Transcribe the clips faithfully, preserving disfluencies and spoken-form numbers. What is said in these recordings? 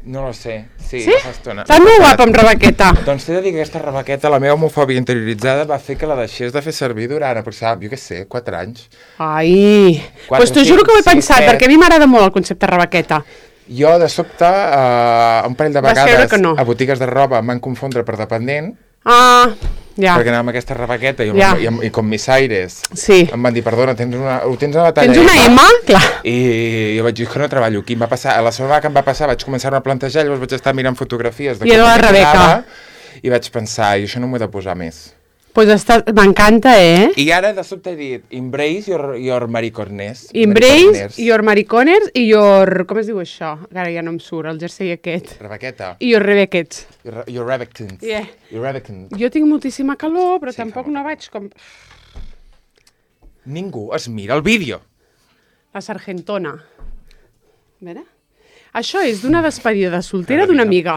No lo sé, sí, sí? fa estona. Estàs molt guapa amb rebequeta. Doncs t'he de dir que aquesta rebequeta, la meva homofòbia interioritzada, va fer que la deixés de fer servir durant, aproximadament, jo què sé, quatre anys. Ai, doncs pues t'ho juro que ho he pensat, perquè a mi m'agrada molt el concepte rebequeta. Jo, de sobte, uh, un parell de vegades no. a botigues de roba em van confondre per dependent, ah, ja. perquè anava amb aquesta rebequeta i, ja. i, i com Miss Aires sí. em van dir, perdona, tens una, ho tens a la talla tens una M? Clar. I, i jo vaig dir que no treballo aquí. Va passar, a la setmana que em va passar vaig començar a plantejar, llavors vaig estar mirant fotografies de I com la Rebeca. I vaig pensar, i això no m'ho he de posar més. Pues està... m'encanta, eh? I ara de sobte he dit, embrace your, your mariconers. Embrace your mariconers i your... com es diu això? Ara ja no em surt, el jersei aquest. Rebequeta. I your rebequets. Your, your rebectons. Yeah. Your rebectons. Jo tinc moltíssima calor, però sí, tampoc no vaig com... Ningú es mira el vídeo. La sargentona. A veure... Això és d'una despedida de soltera d'una amiga.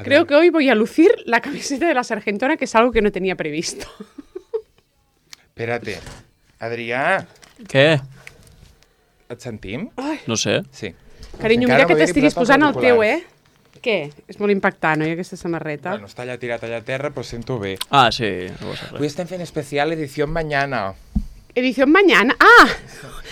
Creo que hoy voy a lucir la camiseta de la sargentona, que es algo que no tenía previsto. Espérate. Adrià. Què? Et sentim? Ai. No sé. Sí. Carinyo, mira que t'estiguis posant el teu, eh? Què? És molt impactant, oi, aquesta samarreta? Bueno, està allà tirat allà a terra, però sento bé. Ah, sí. No Avui estem fent especial edició mañana. Edición mañana. Ah,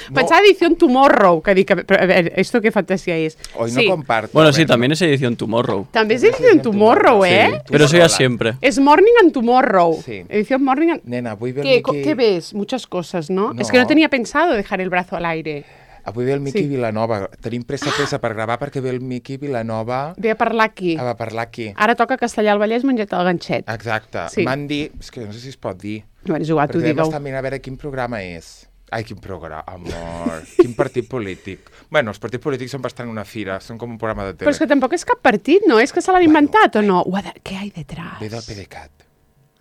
no. Pensaba edición tomorrow. Que dic, pero, a ver, ¿esto qué fantasía es? Hoy sí. no comparto. Bueno, sí, también es edición tomorrow. También es edición tomorrow, ¿eh? Sí, pero eso ya siempre. Es morning and tomorrow. Sí. Edición morning and... Nena, avui ve el ¿Qué, Miqui... ¿Qué ves? Muchas cosas, ¿no? No. Es que no tenía pensado dejar el brazo al aire. Avui ve el Miqui sí. Vilanova. Tenim pressa, pressa per gravar perquè ve el Miqui Vilanova... Ve a parlar aquí. A parlar aquí. Ara toca Castellar al Vallès menjat el ganxet. Exacte. Sí. M'han dit... És que no sé si es pot dir. Bueno, és igual, tu digueu. Perquè vam estar mirant a veure quin programa és. Ai, quin programa, amor. Quin partit polític. Bueno, els partits polítics són bastant una fira, són com un programa de tele. Però és que tampoc és cap partit, no? És que se l'han bueno, inventat o no? De... Què hi ha detrás? Ve del PDeCAT.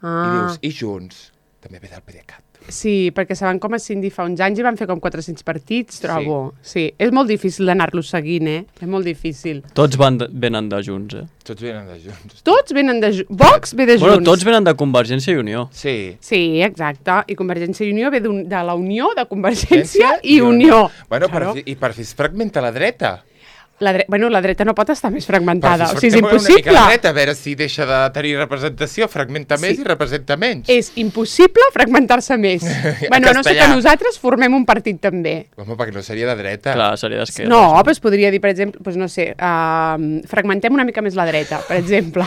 Ah. I dius, i Junts? També ve del PDeCAT. Sí, perquè se van com a cindir fa uns anys i van fer com quatre-cents partits, trobo. Sí. sí. És molt difícil d'anar-los seguint, eh? És molt difícil. Tots van de, venen de Junts, eh? Tots venen de Junts. Tots venen de Junts. Vox ve de Junts. Bueno, tots venen de Convergència i Unió. Sí. Sí, exacte. I Convergència i Unió ve de la Unió de Convergència i Unió. Bueno, claro. per fi, i per fi es fragmenta la dreta. La dre... Bueno, la dreta no pot estar més fragmentada. Però o sigui, és impossible. Una mica la dreta, a veure si deixa de tenir representació, fragmenta més sí. i representa menys. És impossible fragmentar-se més. Bueno, no sé que nosaltres formem un partit també. Home, perquè no seria de dreta. Clar, seria d'esquerra. No, però es podria dir, per exemple, doncs no sé, uh, fragmentem una mica més la dreta, per exemple.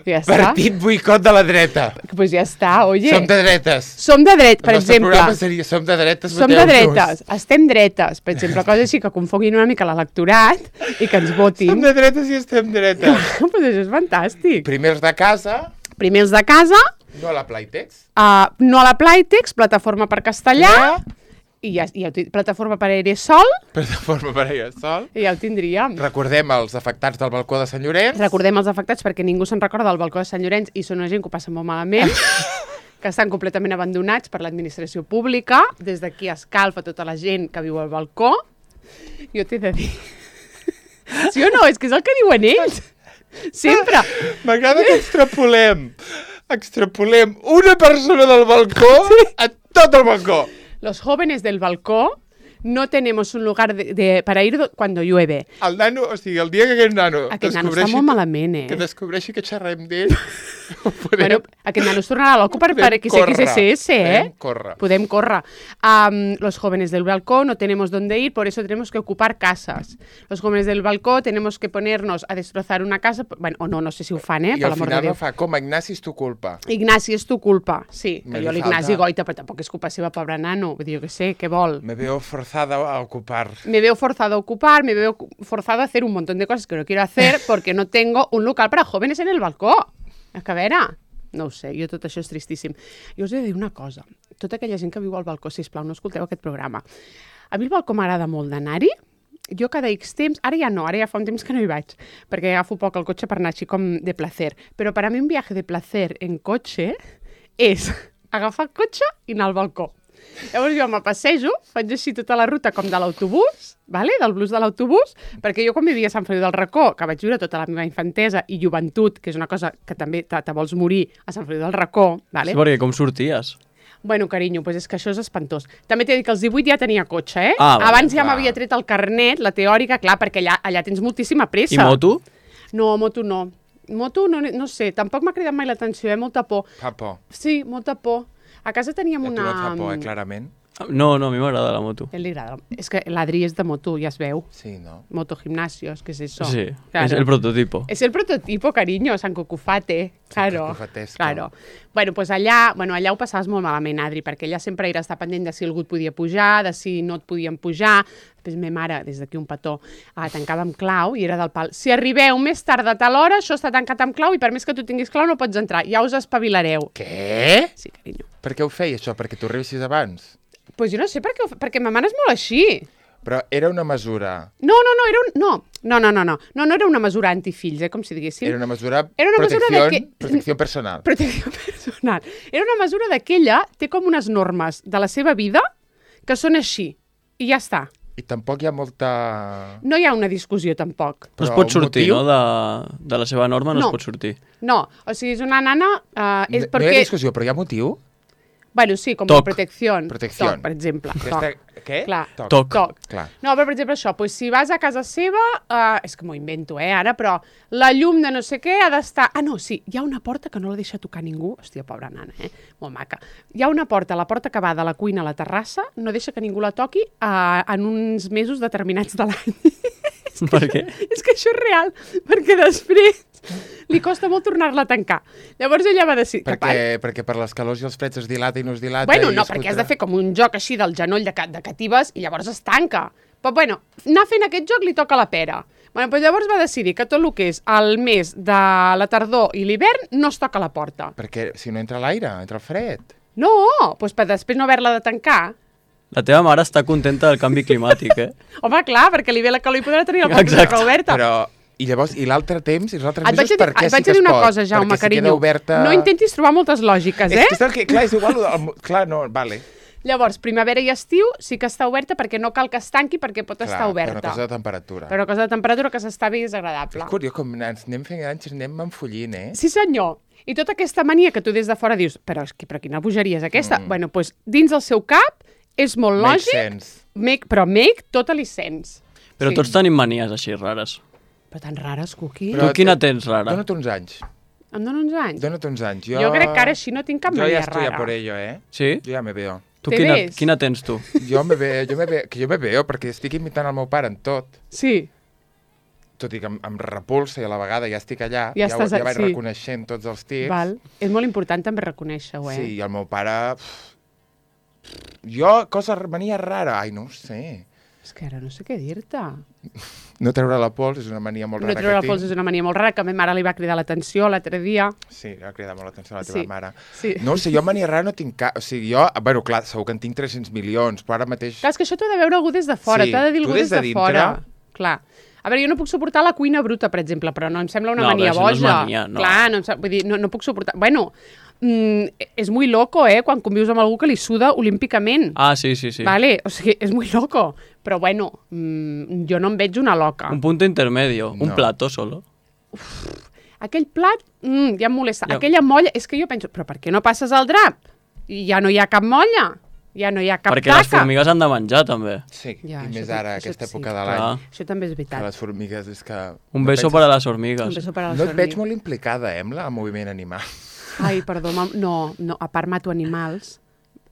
Ja està. Partit boicot de la dreta. Pues ja està, oye. Som de dretes. Som de dretes, per exemple. El nostre programa seria som de dretes, som de dretes, estem dretes. Per exemple, cosa així que confonguin una mica l'electorat i que ens votin. Som de dretes i estem dretes. Pues això és fantàstic. Primers de casa. Primers de casa. No a la Playtex. Uh, no a la Playtex, plataforma per castellà. Ja. I ja, ja plataforma per aeresol. Plataforma per aeresol. I ja ho tindríem. Recordem els afectats del balcó de Sant Llorenç. Recordem els afectats perquè ningú se'n recorda del balcó de Sant Llorenç i són una gent que ho passa molt malament, que estan completament abandonats per l'administració pública. Des d'aquí escalfa tota la gent que viu al balcó. Jo t'he de dir... Sí o no? És que és el que diuen ells. Sempre. M'agrada que extrapolem. Extrapolem una persona del balcó sí. a tot el balcó. Los jóvenes del balcó no tenemos un lugar de, de, para ir cuando llueve. El nano, o sigui, el dia que aquest nano... Aquest nano està molt malament, eh? Que descobreixi que xerrem d'ell... podem... Bueno, aquest nano es tornarà loco per, per X X S S, eh? Podem córrer. Podem córrer. Um, los jóvenes del balcó no tenemos dónde ir, por eso tenemos que ocupar casas. Los jóvenes del balcó tenemos que ponernos a destrozar una casa... Bueno, o no, no sé si ho fan, eh? I al final no fa com, Ignasi, és tu culpa. Ignasi, és tu culpa, sí. Me que jo l'Ignasi falta... goita, però tampoc és culpa seva, pobre nano. Vull dir, jo què sé, què vol? Me veo forzada a ocupar. Me veo forzado a ocupar, me veo forzado a hacer un montón de cosas que no quiero hacer porque no tengo un local para jóvenes en el balcó. És que a veure, no ho sé, jo tot això és tristíssim. Jo us he de dir una cosa, tota aquella gent que viu al balcó, sisplau, no escolteu aquest programa. A mi el balcó m'agrada molt d'anar-hi, jo cada X temps, ara ja no, ara ja fa un temps que no hi vaig, perquè agafo poc el cotxe per anar així com de placer, però per a mi un viatge de placer en cotxe és agafar el cotxe i anar al balcó. Llavors jo me passejo, faig així tota la ruta com de l'autobús, vale? Del bus de l'autobús, perquè jo quan vivia a Sant Feliu del Racó, que vaig viure tota la meva infantesa i joventut, que és una cosa que també te, te vols morir a Sant Feliu del Racó, vale? Sí, perquè com sorties? Bueno, carinyo, pues és que això és espantós. També t'he dit que als divuit ja tenia cotxe, eh? Ah, vale, abans ja clar. m'havia tret el carnet, la teòrica, clar, perquè allà, allà tens moltíssima pressa. I moto? No, moto no. Moto no, no sé, tampoc m'ha cridat mai l'atenció, eh? Molta por. Fa por. Sí, molta por. A casa teníem A tu una... no et fa por, eh, clarament? No, no, a mi m'agrada la moto. A ell li agrada. És que l'Adri és de moto, ja es veu. Sí, no? Motogimnasios, ¿qué es eso? Sí, Claro. és el prototipo. Es el prototipo, cariño, San Cucufate. Claro. Cucufatesco. Claro. Bueno, pues allà, bueno, allà ho passaves molt malament, Adri, perquè ella sempre era estar pendent de si algú et podia pujar, de si no et podien pujar. Després ma mare, des d'aquí un petó, ah, tancava amb clau i era del pal. Si arribeu més tard de tal hora, això està tancat amb clau i per més que tu tinguis clau no pots entrar. Ja us espavilareu. Què? Sí, carinyo. Per què ho feia, això? Perquè tu arribessis abans? Doncs pues jo no sé per què, ho fa, perquè ma mare és molt així. Però era una mesura... No, no, no, era un... No, no, no, no, no, no, no era una mesura antifills, eh, com si diguéssim. Era una mesura... Era una mesura protecció, de que- protecció personal. Protecció personal. Era una mesura d'aquella, té com unes normes de la seva vida que són així, i ja està. I tampoc hi ha molta... No hi ha una discussió, tampoc. No es Però pot un sortir, motiu? no? De, de la seva norma no, No. es pot sortir. No, o sigui, és una nana... Uh, és No, perquè... no hi ha discussió, però hi ha motiu? Bueno, sí, com Toc. la protecció. Protecció. Toc, per exemple. Aquesta... Què? Clar. Toc. Toc. Toc. Clar. No, però per exemple això, doncs, si vas a casa seva, uh, és que m'ho invento, eh, ara, però la llum de no sé què ha d'estar... Ah, no, sí, hi ha una porta que no la deixa tocar ningú. Hòstia, pobra nana, eh? Molt maca. Hi ha una porta, la porta que va de la cuina a la terrassa, no deixa que ningú la toqui uh, en uns mesos determinats de l'any. Per què? És que això és real, perquè després li costa molt tornar-la a tancar. Llavors ella va decidir... que Perquè, perquè per les calors i els freds es dilata i no es dilata... Bueno, i no, es perquè has fotrà. de fer com un joc així del genoll de, ca de catives i llavors es tanca. Però bueno, anar fent aquest joc li toca la pera. Bueno, doncs llavors va decidir que tot el que és el mes de la tardor i l'hivern no es toca la porta. Perquè si no entra l'aire, entra el fred. No, doncs per després no haver-la de tancar. La teva mare està contenta del canvi climàtic, eh? Home, clar, perquè li ve la calor i podrà tenir la Exacte. porta oberta. Però... I llavors, i l'altre temps, i els altres Et vaig mesos, a dir, per què et vaig sí que a dir es una pot? cosa, Jaume, Perquè si carinyo. queda oberta... No intentis trobar moltes lògiques, eh? És que, és el que clar, és igual... El, clar, no, vale. Llavors, primavera i estiu sí que està oberta perquè no cal que es tanqui perquè pot Clar, estar per oberta. una cosa de temperatura. Per una cosa de temperatura que s'està bé i és agradable. És curiós, com ens anem fent grans, ens anem enfollint, eh? Sí, senyor. I tota aquesta mania que tu des de fora dius però, és que, però quina bogeria és aquesta? Mm. Bueno, doncs dins el seu cap és molt Makes lògic, sense. make, però make totally sense. Però Sí. tots tenim manies així rares. Però tan rares, Cuqui. Però- Tu quina tens rara? Dona't uns anys. Em dona uns anys. Dona't uns anys. Jo, Jo crec que ara així no tinc cap jo mania ja estoy rara. a por ello, eh? Sí? Jo ja me veo. Tu Te quina, ves? quina tens tu? Jo me veo, jo me veo, que jo me veo, perquè estic imitant el meu pare en tot. Sí. Tot i que em, em repulsa i a la vegada ja estic allà, Ja ja, estàs ja a- vaig sí. reconeixent tots els tics. Val. És molt important també reconèixer-ho, eh? Sí, i el meu pare... pff, Jo, cosa, mania rara, ai, no ho sé. És que ara no sé què dir-te. No treure la pols és una mania molt No rara treure que la pols tinc. és una mania molt rara, que a ma mare li va cridar l'atenció l'altre dia. Sí, va cridar molt l'atenció a la teva Sí, mare. sí. No ho sé, jo mania rara no tinc cap... O sigui, jo... Bueno, clar, segur que en tinc tres-cents milions, però ara mateix... Clar, és que això t'ho ha de veure algú des de fora, Sí, t'ha de dir tu algú des des de de, dintre- fora. Clar. A veure, jo no puc suportar la cuina bruta, per exemple, però no em sembla una No, mania però això no és boja. mania, no. Clar, no, em sap- vull dir, no, no puc suportar... Bueno, mm, és muy loco, eh, quan convius amb algú que li suda olímpicament. Ah, sí, sí, sí. Vale, o sigui, és muy loco. Però bueno, mm, jo no em veig una loca. Un punto intermedio, un No. plato solo. Aquell plat, mm, ja em molesta. Ja. Aquella molla, és que jo penso, però per què no passes al drap? I ja no hi ha cap molla, ja no hi ha cap Perquè taca. les formigues han de menjar, també. Sí, Ja, i això més sí, ara, això aquesta sí. època de Clar. l'any. Això també és Que veritat. les formigues és que... Un no beso penses- para las Un hormigas. beso para les No et veig hormigues. molt implicada, eh, amb el moviment animal. Ai, perdó, mam- no, no, a part mato animals,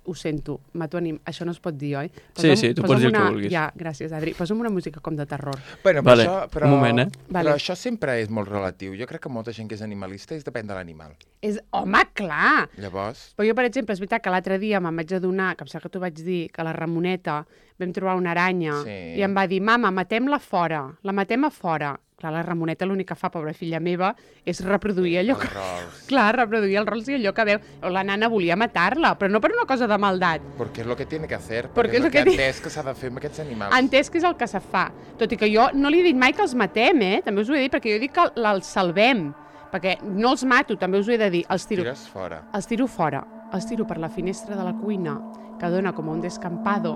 ho sento, mato anim... això no es pot dir, oi? Sí, sí, tu posa'm pots dir el que una... vulguis. Ja, gràcies, Adri. Posa'm una música com de terror. Bueno, però, Vale, això, però, un moment, eh? Vale. però això sempre és molt relatiu. Jo crec que molta gent que és animalista és depèn de l'animal. És... Home, clar! Llavors, Però jo, per exemple, és veritat que l'altre dia me'n vaig adonar, que em sembla que t'ho vaig dir, que a la Ramoneta vam trobar una aranya Sí. i em va dir, mama, matem-la fora, la matem a fora. Clar, la Ramoneta l'únic que fa, pobra filla meva, és reproduir allò que... els rols. Clar, reproduir els rols i allò que veu. La nana volia matar-la, però no per una cosa de maldat. Perquè és el que tiene que hacer. Perquè Perquè és és el el que ha que ti- entès que s'ha de fer amb aquests animals. Ha entès que és el que se fa. Tot i que jo no li he dit mai que els matem, eh? També us ho he dit, perquè jo dic que l- els salvem. Perquè no els mato, també us ho he de dir. Els tiro, Tires fora. els tiro fora. Els tiro per la finestra de la cuina, que dona com un descampado,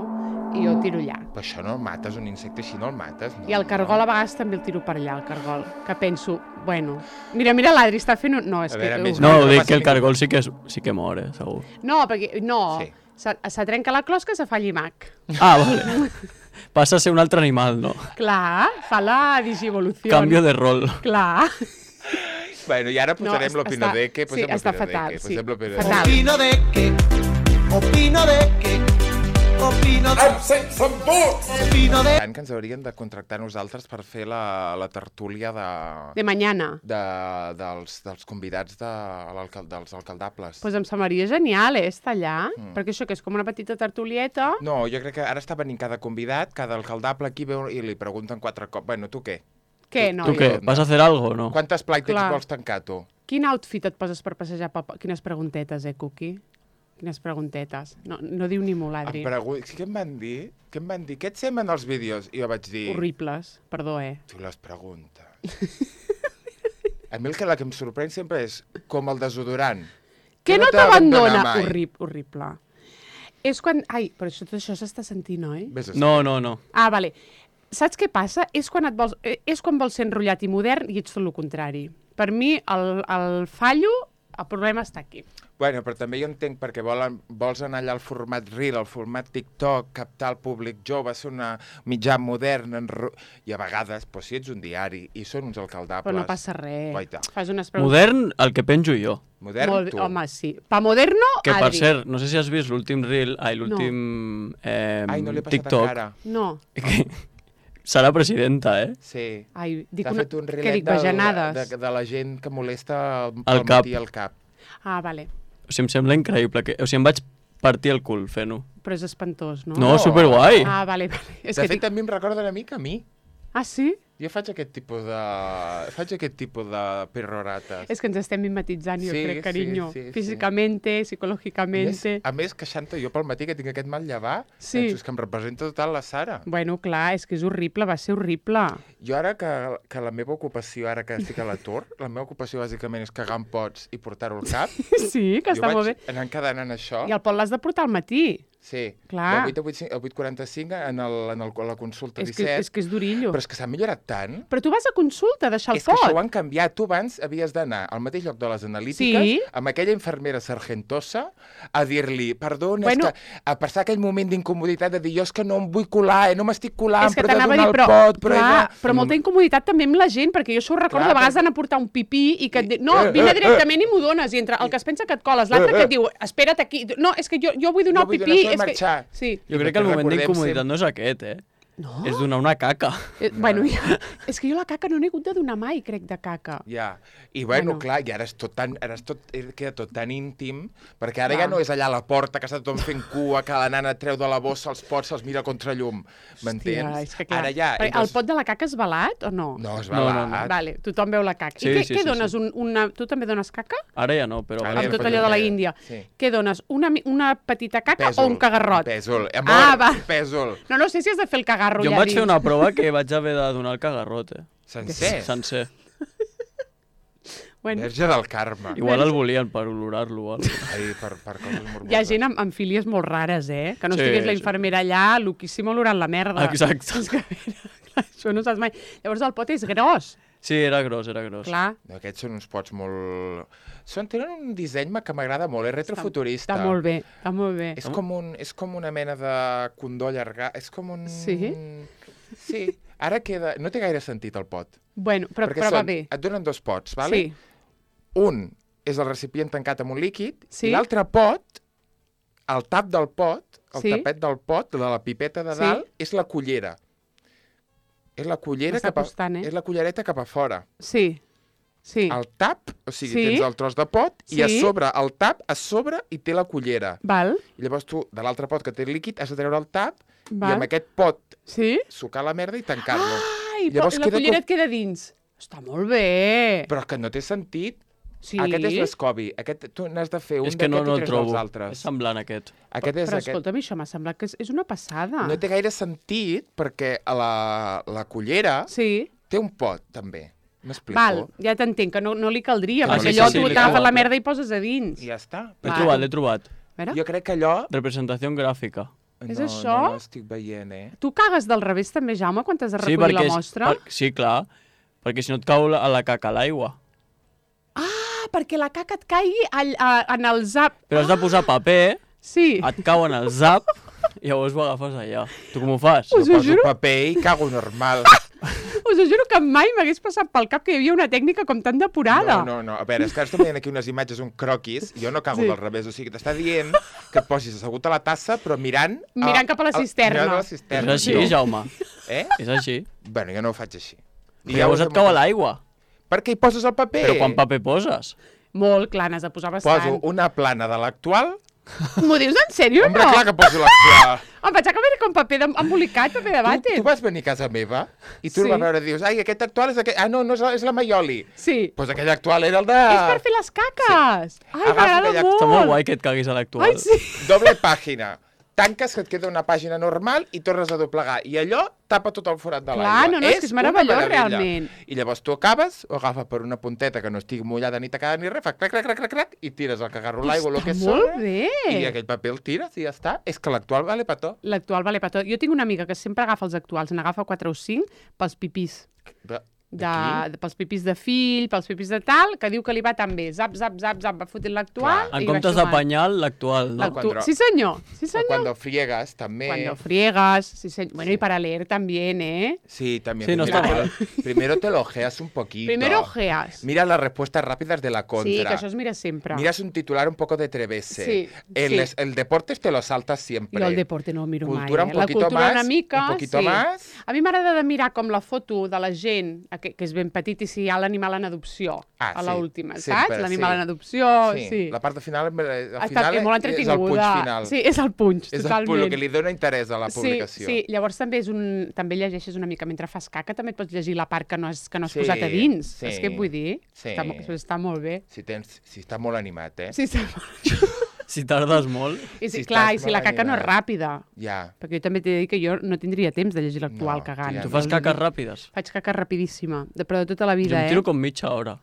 i jo tiro allà. Però això no el mates, un insecte així no el mates. No? I el cargol a vegades també el tiro per allà, el cargol. Que penso, bueno... Mira, mira, l'Adri està fent... Un... No, és A que... veure, més- No, no ho dic passa que el ningú. cargol sí que, és, sí que mor, eh, segur. No, perquè... No, Sí. se, se trenca la closca, se fa llimac. Ah, vale. passa a ser un altre animal, no? Clar, fa la digivolució. Canvio de rol. Clar. Bueno, i ara posarem No, l'opino està- de que... sí, està fatal, sí. Posem l'opino de Fatal. que. Opino de que, opino de que, opino de... Opino de... Tant que ens haurien de contractar nosaltres per fer la, la tertúlia de, De mañana. de, dels, dels convidats de, l'alcal, dels alcaldables. Pues em semblaria genial, eh, estar allà. Mm. Perquè això que és com una petita tertulieta. No, jo crec que ara està venint cada convidat, cada alcaldable aquí veu i li pregunten quatre cops. Bueno, tu què? Què, no? Tu què? Vas a hacer algo o no? Quantes plàstics Clar. vols tancar, tu? Quin outfit et poses per passejar pel... po- Quines preguntetes, eh, Cookie? Quines preguntetes. No, no diu ni molt, Adri. Em pregu... Què em van dir? Què em van dir? Què et semblen els vídeos? I jo vaig dir... Horribles, perdó, eh? Tu les preguntes. A mi el que, la que em sorprèn sempre és com el desodorant. Que no t'abandona t'abandona! mai. Horrib, horrible. És quan... Ai, però això, tot això s'està sentint, oi? Vés a No, no, no. Ah, vale. Saps què passa? És quan, et vols, eh, és quan vols ser enrotllat i modern i ets tot el contrari. Per mi, el, el fallo, el problema està aquí. Bueno, però també jo entenc perquè volen, vols anar allà al format Reel, al format TikTok, captar el públic jove, ser una mitjà modern, enro... i a vegades, doncs, si ets un diari i són uns alcaldables... Però no passa res. Guaita. Fas unes preguntes... Modern, el que penjo jo. Modern, Molt, tu. home, sí. Pa moderno, Que, per Adri. cert, no sé si has vist l'últim reel, ai, l'últim eh, Ai, no l'he passat TikTok. encara. No. Que serà presidenta, eh? Sí. Ai, dic S'ha una... fet un Què reelet dic, de, bajanades? de, de la gent que molesta al, Al al cap. matí al cap. Ah, vale. O sigui, em sembla increïble. Que... O sigui, em vaig partir el cul fent-ho. Però és espantós, no? No, superguai. Ah, vale, vale. És De que fet, dic... també em recorda una mica a mi. Ah, sí? Jo faig aquest tipus de... faig aquest tipus de perrorates. És que ens estem mimetitzant, jo Sí, crec, sí, carinyo. sí, sí. Físicamente, A més, psicològicamente... a més, queixant-te jo pel matí que tinc aquest mal llevar, Sí. penso, és que em representa total la Sara. Bueno, clar, és que és horrible, va ser horrible. Jo ara que, que la meva ocupació, ara que estic a l'atur, la meva ocupació bàsicament és cagar en pots i portar-ho al cap. Sí, que jo està vaig molt bé. anar encadenant això. I el pot l'has de portar al matí. Sí, Clar. de vuit a vuit, a vuit quaranta-cinc en, el, en el, la consulta És que, disset. és que és durillo. Però és que s'ha millorat tant. Però tu vas a consulta, a deixar el És que pot. això ho han canviat. Tu abans havies d'anar al mateix lloc de les analítiques Sí. amb aquella infermera sargentosa a dir-li, perdona, Bueno. és que a passar aquell moment d'incomoditat de dir jo és que no em vull colar, eh, no m'estic colant, És que però he de t'anava a donar dir, el però, pot, però... clar, he de... però molta incomoditat també amb la gent, perquè jo això ho recordo Clar, de vegades perquè- d'anar a portar un pipí i que et I- diu, no, eh, vine eh, directament i m'ho dones, i entre el que es pensa que et coles, l'altre que et diu, espera't aquí, no, és que jo, jo vull donar Jo el vull pipí. donar això i és que... marxar. Sí. Jo crec perquè que el moment recordem d'incomoditat sempre- no és aquest, eh? No? És donar una caca. Eh, bueno, ja, és que jo la caca no n'he hagut de donar mai, crec, de caca. Ja, i bueno, Bueno. clar, i ara és tot tan, ara és tot, eh, queda tot tan íntim, perquè ara Clar. ja no és allà a la porta que està tothom fent cua, que la nana treu de la bossa els pots, se'ls mira contra llum, m'entens? Hòstia, és que clar. Ara ja... Perquè entres- El pot de la caca és balat o no? No, és No, no, balat. no. Vale, tothom veu la caca. Sí, I què, sí, què sí, dones? sí. Un, una... Tu també dones caca? Ara ja no, però... Ara Amb ja tot no allò de la pot- Índia. sí. Què dones? Una, mi- una petita caca Pèsol, o un cagarrot? Pèsol. Amor, Ah, va. pèsol. No, no sé si has de fer el cagarro Jo em ja vaig dins. fer una prova que vaig haver de donar el cagarrot, eh? Sencer. Sencer. Bueno, Verge del Carme. Igual el volien per olorar-lo o alguna cosa. Ai, per, per coses morboses. hi ha gent amb, amb filies molt rares, eh? Que no Sí, estigués la sí. infermera allà, loquíssim olorant la merda. Exacte. És que, a veure, clar, això no saps mai. Llavors el pot és gros, Sí, era gros, era gros. clar. No, aquests són uns pots molt... Són, tenen un disseny que m'agrada molt, és retrofuturista. Està molt bé, està molt bé. És com, un, és com una mena de condó allargat. És com un... Sí? Sí. Ara queda... No té gaire sentit el pot. Bueno, però, perquè però va són, bé. et donen dos pots, vale? Sí, Un és el recipient tancat amb un líquid Sí. i l'altre pot, el tap del pot, el Sí. tapet del pot, de la pipeta de Sí. dalt, és la cullera. És la cullera M'està cap a, costant, eh? és la cullereta cap a fora. sí, sí. El tap, o sigui, Sí. tens el tros de pot i a Sí. sobre, el tap, a sobre hi té la cullera. Val, I llavors tu, de l'altre pot que té líquid, has de treure el tap val. i amb aquest pot Sí? sucar la merda i tancar-lo. Ai, Llavors però la queda cullera com- et queda dins. Està molt bé. Però que no té sentit. Sí. Aquest és l'Escobi. Aquest, tu n'has de fer un És que no, d'aquest no i el tres trobo. dels És altres. semblant aquest. Aquest és Però aquest. escolta'm, això m'ha semblat que és, és una passada. No té gaire sentit perquè a la, la cullera Sí. té un pot, també. M'explico? Val, ja t'entenc, que no, no li caldria, Que no perquè li allò caldria. tu Sí, t'agafes sí, la sí. merda i poses a dins. I ja està. L'he Val. trobat, l'he trobat. A veure, Jo crec que allò... Representació gràfica. És no, això? No l'estic veient, eh? tu cagues del revés també, Jaume, quan t'has de Sí, recollir perquè la és- mostra? Per, sí, clar. Perquè si no et cau la, a la caca a l'aigua. Ah, perquè la caca et caigui all, a, en el zap. Però has de posar paper, Sí, et cau en el zap i llavors ho agafes allà. Tu com ho fas? Us Jo ho poso juro. paper i cago normal. Us ho juro que mai m'hagués passat pel cap que hi havia una tècnica com tan depurada. No, no, no. A veure, és que ara estem veient aquí unes imatges, un croquis, i jo no cago Sí. del revés. O sigui, t'està dient que et posis assegut a la tassa, però mirant... Mirant cap a la cisterna. Mirant a la És cisterna. així, no. Jaume. Eh? És així. Bueno, jo no ho faig així. I Però llavors ho et fem cau a molt- l'aigua. Per què hi poses el paper? Però quan paper poses? Molt, clar, n'has de posar bastant. Poso una plana de l'actual. M'ho dius en sèrio o Hombre, no? clar que poso l'actual. Em vaig acabar com paper de- embolicat, paper de Tu, vàter. tu vas venir a casa meva i tu Sí. el vas veure i dius, ai, aquest actual és aquest... Ah, no, no és la, és la Maioli. Sí. Doncs pues aquell actual era el de... És per fer les caques. Ai, Agafa m'agrada aquella- molt. Està molt guai que et caguis a l'actual. Ai, sí. Doble pàgina. Tanques, que et queda una pàgina normal i tornes a doblegar. I allò tapa tot el forat de Clar, l'aigua. no, no, és que és una meravellós, meravella. realment. I llavors tu acabes, ho agafa per una punteta que no estigui mullada ni tacada ni res, fa crac, crac, crac, crac, crac, i tires el cagarro l'aigua, el que Està és molt sobre, bé. i aquell paper el tires i ja està. És que l'actual vale per tot. L'actual vale per tot. Jo tinc una amiga que sempre agafa els actuals, n'agafa quatre o cinc pels pipís. De, De, de, pels pipís de fill, pels pipís de tal, que diu que li va tan bé. Zap, zap, zap, zap, va fotent l'actual. En i va comptes de sumant. panyal, l'actual, no? L'actu- Cuando- Sí, senyor. Sí, O senyor. cuando friegas, també. Cuando friegas. Sí, senyor. Bueno, y para leer también, ¿eh? Sí, también. Sí, no primero, está mal. te lo- primero te lo ojeas un poquito. Primero ojeas. Mira las respuestas rápidas de la contra. Sí, que això es mira sempre. Miras un titular un poco de trevese. Sí, el, sí. es- el deportes te lo saltas siempre. Jo el deporte no el miro Cultura mai, un eh? poquito La cultura más, una mica, un poquito sí. más. A mi m'agrada de mirar com la foto de la gent, que, que és ben petit, i si hi ha l'animal en adopció, Ah, a sí, l'última, sempre, saps? L'animal sí. en adopció, Sí, sí. la part final, al Està final molt és el punch entretinguda. final. Sí, és el punch, és el, totalment. punt, el que li dona interès a la Sí, publicació. sí, llavors també és un... també llegeixes una mica mentre fas caca, també et pots llegir la part que no has, que no has Sí, posat a dins. sí. Saps què et vull dir? Sí. Està, mo- està molt bé. Si, tens, si està molt animat, eh? Sí, està molt... Si tardes molt... I sí, Si clar, estàs i si la molt caca no és animat. ràpida. Ja. Perquè jo també t'he de dir que jo no tindria temps de llegir l'actual No, cagant. tia, Tu fas caques ràpides? Faig caca rapidíssima, de, però de tota la Jo vida, em eh? tiro com mitja hora.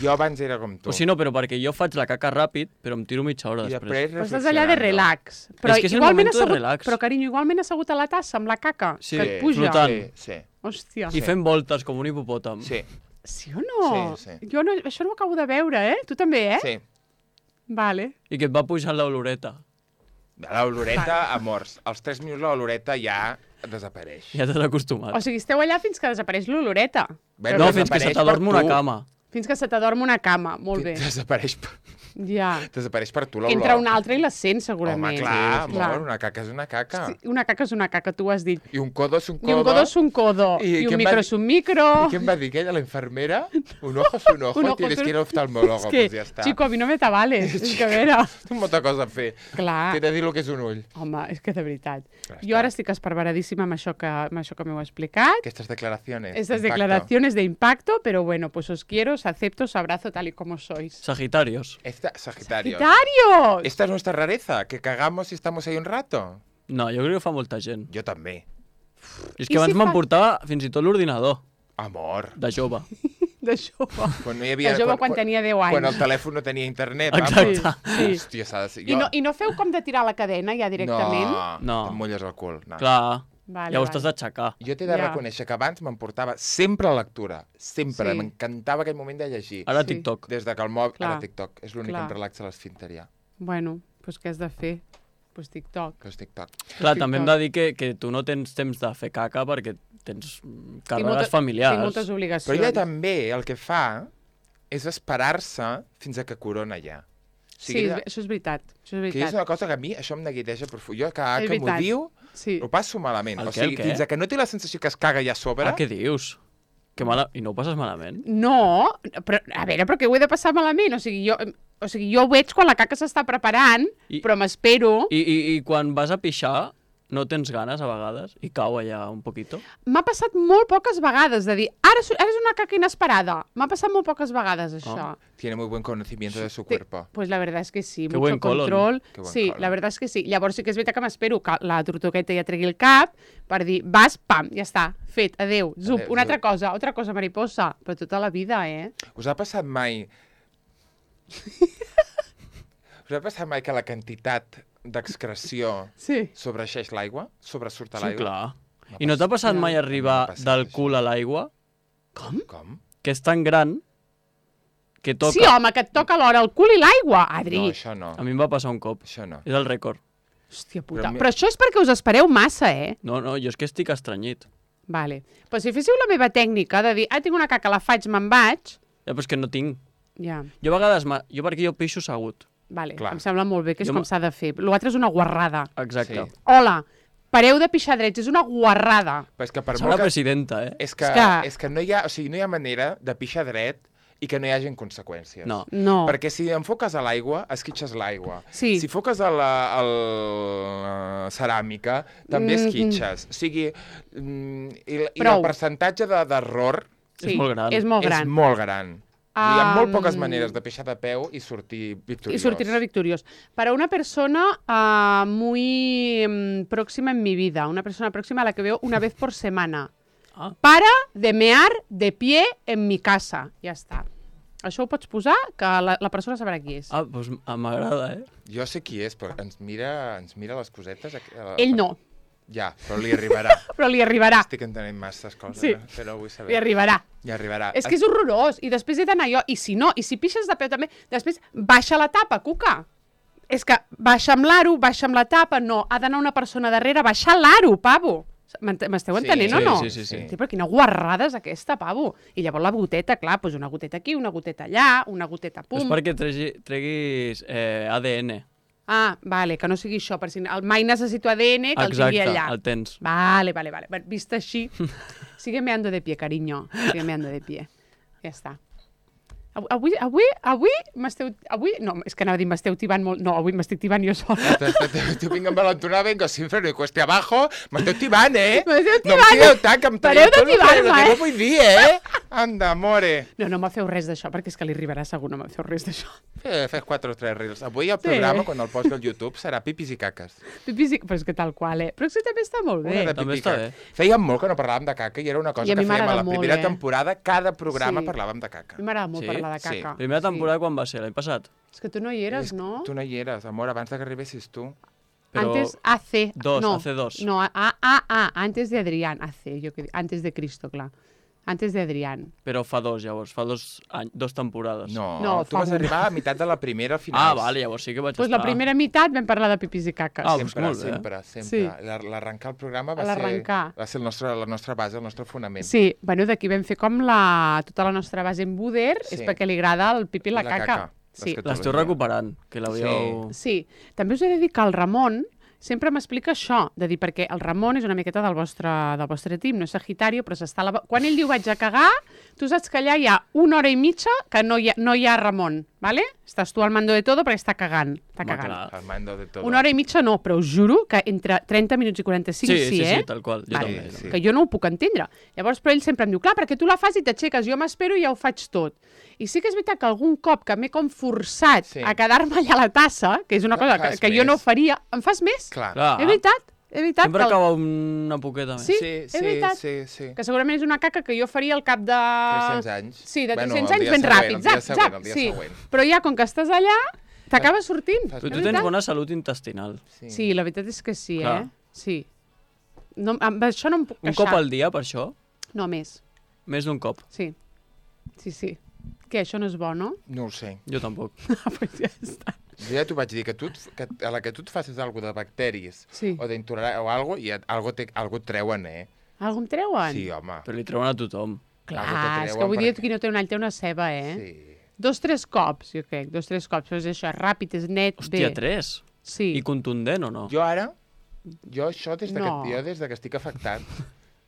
Jo abans era com tu. O si no, però perquè jo faig la caca ràpid, però em tiro mitja hora I després. després Però estàs allà de reflexionando. relax. Però És que és el igualment momento de assegut, relax. Però, carinyo, igualment assegut a la tassa amb la caca, Sí, que et puja. flotant. Sí, sí. Hòstia. I fent voltes com un hipopòtam. Sí, Sí o no? Sí, sí. Jo no, això no ho acabo de veure, eh? Tu també, eh? sí. Vale. I que et va pujant l'oloreta. L'oloreta, amors. Als tres minuts l'oloreta ja desapareix. Ja t'has acostumat. O sigui, esteu allà fins que desapareix l'oloreta. Bé, No, fins que desapareix se t'adorm per una tu. cama. Fins que se t'adorm una cama. Molt bé. Desapareix per, Ja. desapareix per tu l'olor. Entra una altra i la sent, Home, segurament. clar, Sí, amor, una caca és una caca. Sí, una caca és una caca, tu ho has dit. I un codo és un codo. I un codo és un codo. I I, què un em micro va és dir? un micro. ¿Y quién va a decir que ella, la enfermera? Un ojo es un ojo, Un ojo tienes es un- que ir al oftalmólogo, És que, pues ja està. chico, a mi no me t'avales. És que a veure... Té molta cosa a fer. Clar. T'he de dir el que és un ull. Home, és que de veritat. Ja Jo està. ara estic esparveradíssima amb això que, amb això que m'heu explicat. Aquestes declaracions. Estas impacto. declaraciones de impacto, pero bueno, pues os quiero, os acepto, os abrazo tal y como sois. Sagitarios. Esta, Sagitario. ¡Sagitarios! Esta es nuestra rareza, que cagamos y estamos ahí un rato. No, jo crec que ho fa molta gent. Jo també. I és I que abans si fa- m'emportava fins i tot l'ordinador, Amor. de jove. De jove. Quan no hi havia... De jove quan tenia deu anys. Quan el telèfon no tenia internet. Exacte. vamos. Sí. Hòstia, s'ha de ser... I no, I no feu com de tirar la cadena ja directament? No, No. te'n mulles el cul. No. Clar, Vale, llavors vale. t'has d'aixecar. Jo t'he de Ja. reconèixer que abans m'emportava sempre a lectura. Sempre. Sí. M'encantava aquell moment de llegir. Ara Sí. TikTok. Des de que el mòbil... Clar. Ara TikTok. És l'únic que Clar. em relaxa l'esfínter ja. Bueno, pues què has de fer? Pues TikTok. Que és TikTok. Clar, TikTok. també hem de dir que, que tu no tens temps de fer caca perquè tens mm, Tinc càrregues molta- familiars. Tinc moltes Però obligacions. ella també el que fa és esperar-se fins a que corona ja. O Sí, sigui, és ella- ve- això és veritat. Això és que és veritat. una cosa que a mi això em neguiteja profund. Jo cada És que m'ho veritat. diu Sí. ho passo malament. El O què, el sigui, què? fins a que no té la sensació que es caga ja a sobre... Ah, què dius? Que mala... I no ho passes malament? No, però, a veure, però què ho he de passar malament? O sigui, jo, o sigui, jo ho veig quan la caca s'està preparant, I- però m'espero... I, i, I quan vas a pixar, no tens ganes a vegades? I cau allà un poquito? M'ha passat molt poques vegades de dir, ara, és- ara és una caca inesperada. M'ha passat molt poques vegades, això. Tiene muy buen conocimiento de su Te- cuerpo. Pues la verdad es que sí, Qué mucho buen colon. control. Qué buen Sí, colon. la verdad es que sí. Llavors sí que és veritat que m'espero que la tortugueta ja tregui el cap per dir, vas, pam, ja està, fet, adeu, zup, Adeu, una altra zup. cosa, altra cosa, mariposa, però tota la vida, eh? Us ha passat mai... Us ha passat mai que la quantitat d'excreció Sí. sobreeixeix l'aigua? Sobresurt a Sí, l'aigua? clar. M'ha I no t'ha passat mai M'ha arribar passat del això. cul a l'aigua? Com? Com? Que és tan gran que toca... Sí, home, que et toca alhora el cul i l'aigua, Adri. No, això no. A mi em va passar un cop. Això no. És el rècord. Hòstia puta. Però mi- Però això és perquè us espereu massa, eh? No, no, jo és que estic estranyit. Vale. Però si féssiu la meva tècnica de dir, ah, tinc una caca, la faig, me'n vaig... Ja, però és que no tinc. Ja, Jo a vegades... ma- Jo perquè jo pixo assegut. vale. Clar. Em sembla molt bé, que és Jo com me- s'ha de fer. L'altre és una guarrada. Exacte. Sí. Hola, pareu de pixar drets, és una guarrada. Però és que per Serà molt que... presidenta, eh? És que, És que- és que no, hi ha, o sigui, no hi ha manera de pixar dret i que no hi hagin conseqüències. No. No. Perquè si enfoques a l'aigua, esquitxes l'aigua. Sí. Si foques a la, a la ceràmica, també Mm. esquitxes. O sigui, mm, i, i el Prou. percentatge de- d'error És molt gran. És molt gran. és molt gran. Hi ha molt poques Um, maneres de pixar de peu i sortir victoriós. Y sortirme victorioso. Para una persona uh, muy um, próxima en mi vida, una persona próxima a la que veo una vez por semana. Ah. Para de mear de pie en mi casa. Ja està. Això ho pots posar, que la, la persona sabrà qui és. Ah, doncs m'agrada, eh? Jo sé qui és, però ens mira, ens mira les cosetes. Eh, Ell no, Ja, però li arribarà. però li arribarà. Estic entenent masses coses, Sí. eh? Però vull saber. Li arribarà. Li arribarà. És que és horrorós. I després he d'anar jo. I si no, i si pixes de peu també, després baixa la tapa, cuca. És que baixa amb l'aro, baixa amb la tapa, no. Ha d'anar una persona darrere, baixar l'aro, pavo. M'ent- M'esteu Sí, entenent o sí, no? sí, sí, sí. Sí, però quina guarrada és aquesta, pavo. I llavors la goteta, clar, doncs una goteta aquí, una goteta allà, una goteta Però és pum. perquè tregui, treguis eh, A D N. Ah, vale, que no sigui això, per si el mai necessito A D N, que el Exacte, tingui allà. el tens. Vale, vale, vale. Bueno, vist així, sigue meando de pie, cariño. Sigue meando de pie. Ja està. Av- Avui, avui, avui m'esteu... Avui, no, és que anava a dir m'esteu tibant molt... No, avui m'estic tibant jo sola. Tu vinc amb l'entonada, vengo sin freno i cueste abajo. M'esteu tibant, eh? M'esteu No em tibant. tireu tant, que em Pareu de tot el que- tibar-me, el que eh? no vull dir, eh? Anda, more. No, no me feu res d'això, perquè és que li arribarà segur, no me feu res d'això. Eh, fes quatre o tres reels. Avui el Sí. programa, quan el posi al YouTube, serà pipis i caques. Pipis i... Però és que tal qual, eh? Però és que també està molt bé. Una de També pipi i està caca. bé. Fèiem molt que no parlàvem de caca i era una cosa I a que mi fèiem a m'agrada la molt, primera eh? temporada. Cada programa Sí. parlàvem de A caca. mi m'agrada molt Sí? parlar de Sí. caca. Primera temporada quan va ser? L'any passat? És que tu no hi eres, És- no? Tu no hi eres, amor, abans de que arribessis tu. Però... Antes A C. Dos, no, hace dos. No, A, A, A, antes de Adrián. A C, yo que dic, antes de Cristo, clar. Antes de Adrián. Però fa dos, llavors. Fa dos, any, dos temporades. No, No, tu fa vas un. arribar a meitat de la primera al final. Ah, vale, llavors sí que vaig Pues estar. la primera meitat vam parlar de pipis i caques. Ah, Sempre, molt bé. sempre, sempre. Sí. La- L'arrencar el programa va ser, L'arrencar. va ser el nostre, la nostra base, el nostre fonament. Sí, bueno, d'aquí vam fer com la, tota la nostra base en Buder, Sí. és perquè li agrada el pipi i la, La caca. caca. Sí. Les L'esteu recuperant, que l'havíeu... Sí, també us he de dir que el Ramon sempre m'explica això, de dir, perquè el Ramon és una miqueta del vostre, del vostre team, no és Sagitario, però s'està... La... Quan ell diu vaig a cagar, tu saps que allà hi ha una hora i mitja que no hi ha, no hi ha Ramon, ¿vale? Estàs tu al mando de todo perquè està cagant, està Home, cagant. clar. Al mando de todo. Una hora i mitja no, però us juro que entre trenta minuts i quaranta-cinc Sí, sí, sí, eh? sí, tal qual. Jo Vale. també. Sí, també. Que jo no ho puc entendre. Llavors, però ell sempre em diu, clar, perquè tu la fas i t'aixeques, jo m'espero i ja ho faig tot. I sí que és veritat que algun cop que m'he com forçat Sí. a quedar-me allà a la tassa, que és una cosa que, Fas que jo no més. faria, em fas més? Clar. Clar. És veritat, és veritat. Sempre que el- acaba una poqueta més. Sí, sí, és sí, veritat. sí, sí. Que segurament és una caca que jo faria al cap de... tres-cents anys. Sí, de Bueno, tres-cents el anys dia ben següent, ràpid. el dia Zap, següent, zap, el dia sí. següent. Però ja, com que estàs allà, t'acaba sortint. Fas- Però És tu tens veritat. bona salut intestinal. Sí. Sí, la veritat és que sí, Clar. eh? Sí. No, amb això no em puc Un queixar. cop al dia, per això? No, més. Més d'un cop. Sí. Sí, sí. Què, això no és bo, no? No ho sé. Jo tampoc. Ah, pues ja està. Jo ja t'ho vaig dir, que, tu, et- que a la que tu et facis alguna de bacteris Sí. o d'intolerància o algo, i et, algo, te, algo et treuen, eh? Algú em treuen? Sí, home. Però li treuen a tothom. Clar, algú te és que treuen avui dia perquè- qui no té un all té una ceba, eh? Sí. Dos, tres cops, jo crec. Dos, tres cops. Però és això, és ràpid, és net, Hòstia, bé. tres? Sí. I contundent o no? Jo ara, jo això des de, No. que, jo des de que estic afectat,